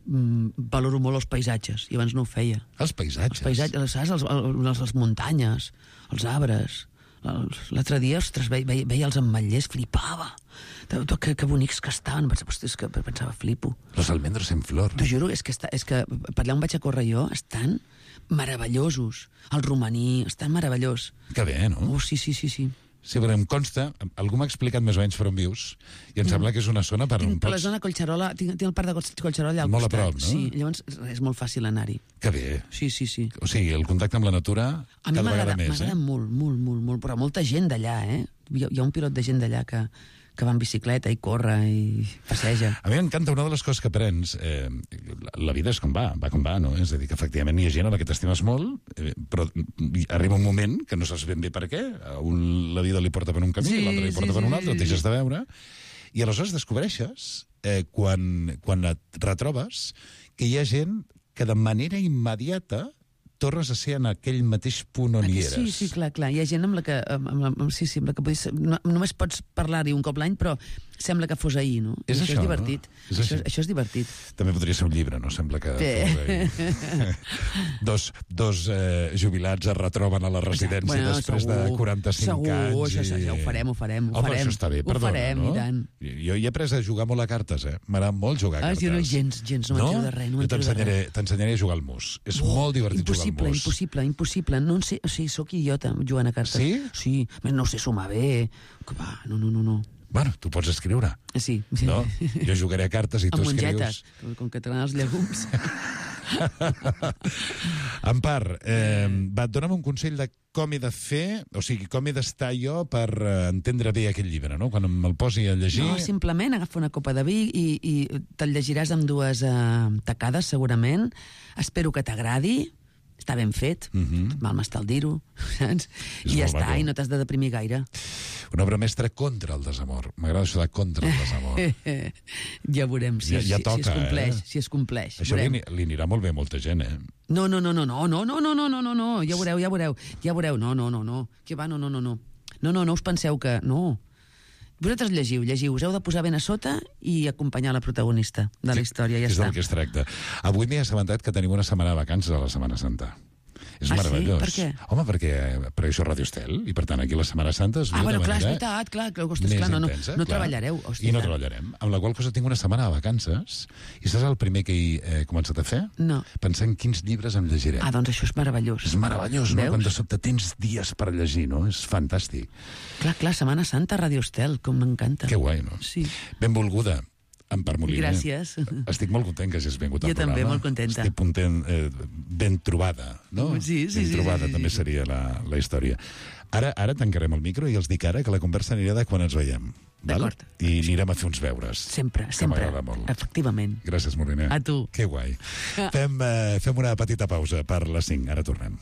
Speaker 10: valoro molt els paisatges, i abans no ho feia.
Speaker 7: Els paisatges?
Speaker 10: Saps? Les muntanyes, els arbres. L'altre dia, ostres, veia els ametllers, flipava. Que bonics que estaven. Pensava, flipo.
Speaker 7: Los almendros en flor.
Speaker 10: T'ho juro, és que per allà on vaig a córrer jo estan meravellosos. El romaní, estan meravellós.
Speaker 7: Que bé, no?
Speaker 10: Sí.
Speaker 7: Sí, però em consta, algú m'ha explicat més o menys per on vius, i em sembla que és una zona per on
Speaker 10: pots... La zona Collserola, tinc el parc de Collserola allà al costat.
Speaker 7: Molt a prop, no?
Speaker 10: Sí, llavors és molt fàcil anar-hi.
Speaker 7: Que bé.
Speaker 10: Sí.
Speaker 7: O sigui, el contacte amb la natura cada vegada més,
Speaker 10: m'agrada molt, però molta gent d'allà, Hi ha un pilot de gent d'allà que va en bicicleta i corre i passeja.
Speaker 7: A mi m'encanta una de les coses que aprens. La vida és com va com va, no? És a dir, que efectivament hi ha gent a la que t'estimes molt, però arriba un moment que no saps ben bé per què. A un la vida li porta per un camí, l'altre li porta per un altre, et deixes de veure, i aleshores descobreixes, quan et retrobes, que hi ha gent que de manera immediata tornes a ser en aquell mateix punt on hi eres.
Speaker 10: Sí, clar. Hi ha gent amb la que només pots parlar-hi un cop l'any, però sembla que fos ahir, no?
Speaker 7: És això,
Speaker 10: és divertit.
Speaker 7: No?
Speaker 10: Això és divertit.
Speaker 7: També podria ser un llibre, no? Sembla que dos jubilats es retroben a la residència després de 45 anys.
Speaker 10: Segur, ja ho farem.
Speaker 7: Home, això està bé, perdona,
Speaker 10: ho farem,
Speaker 7: no?
Speaker 10: I tant.
Speaker 7: Jo hi he après a jugar molt a cartes, M'agrada molt jugar a cartes.
Speaker 10: Jo no gens, no m'entero de res.
Speaker 7: Jo t'ensenyaré a jugar al mus. És molt divertit jugar al mus.
Speaker 10: Impossible. No en sé, soc idiota jugant a cartes.
Speaker 7: Sí?
Speaker 10: Sí, no sé sumar bé. No.
Speaker 7: Bueno, tu pots escriure.
Speaker 10: Sí.
Speaker 7: No? Jo jugaré a cartes i tu escrius...
Speaker 10: Amb mongetes, com que t'agraden els llegums.
Speaker 7: Empar, dona'm un consell de com he de fer, o sigui, com he d'estar jo per entendre bé aquest llibre, no? Quan me'l posi a llegir...
Speaker 10: No, simplement agafa una copa de vi i te'l llegiràs amb dues tacades, segurament. Espero que t'agradi. Està ben fet, mal m'està el dir-ho, saps? I ja està, i no t'has de deprimir gaire.
Speaker 7: Una obra mestra contra el desamor. M'agrada això de contra el desamor.
Speaker 10: Ja veurem si es compleix.
Speaker 7: Això li anirà molt bé a molta gent,
Speaker 10: No, ja veureu. No. Que va, no. No us penseu que... No. Vosaltres llegiu, us heu de posar ben a sota i acompanyar la protagonista de la història, ja està.
Speaker 7: És del que es tracta. Avui m'he assabentat que tenim una setmana de vacances a la Setmana Santa. És
Speaker 10: Ah, sí?
Speaker 7: meravellós.
Speaker 10: Per què?
Speaker 7: Home, perquè això és Radio Estel, i per tant aquí la Setmana Santa es viu
Speaker 10: Bueno,
Speaker 7: de
Speaker 10: clar, és
Speaker 7: manera
Speaker 10: veritat, clar, ostres,
Speaker 7: més
Speaker 10: clar, no
Speaker 7: intensa, clar.
Speaker 10: treballareu. Hòstia,
Speaker 7: I no treballarem. Amb la qual cosa tinc una setmana de vacances, i saps el primer que he començat a fer?
Speaker 10: No.
Speaker 7: Pensar en quins llibres em llegiré.
Speaker 10: Ah, doncs això és meravellós.
Speaker 7: És meravellós, no?
Speaker 10: Veus?
Speaker 7: Quan de sobte tens dies per llegir, no? És fantàstic.
Speaker 10: Clar, Setmana Santa, Radio Estel, com m'encanta.
Speaker 7: Que guai, no?
Speaker 10: Sí.
Speaker 7: Benvolguda, Empar Moliner.
Speaker 10: Gràcies.
Speaker 7: Estic molt content que hagis vingut al
Speaker 10: Jo
Speaker 7: programa.
Speaker 10: també, molt contenta.
Speaker 7: Estic content, ben trobada, no?
Speaker 10: Sí.
Speaker 7: Ben trobada també seria la història. Ara tancarem el micro i els dic ara que la conversa anirà de quan ens veiem.
Speaker 10: D'acord.
Speaker 7: I anirem a fer uns beures.
Speaker 10: Sempre.
Speaker 7: Que m'agrada molt.
Speaker 10: Efectivament.
Speaker 7: Gràcies, Moliner.
Speaker 10: A tu.
Speaker 7: Que guai. Fem una petita pausa per les 5. Ara tornem.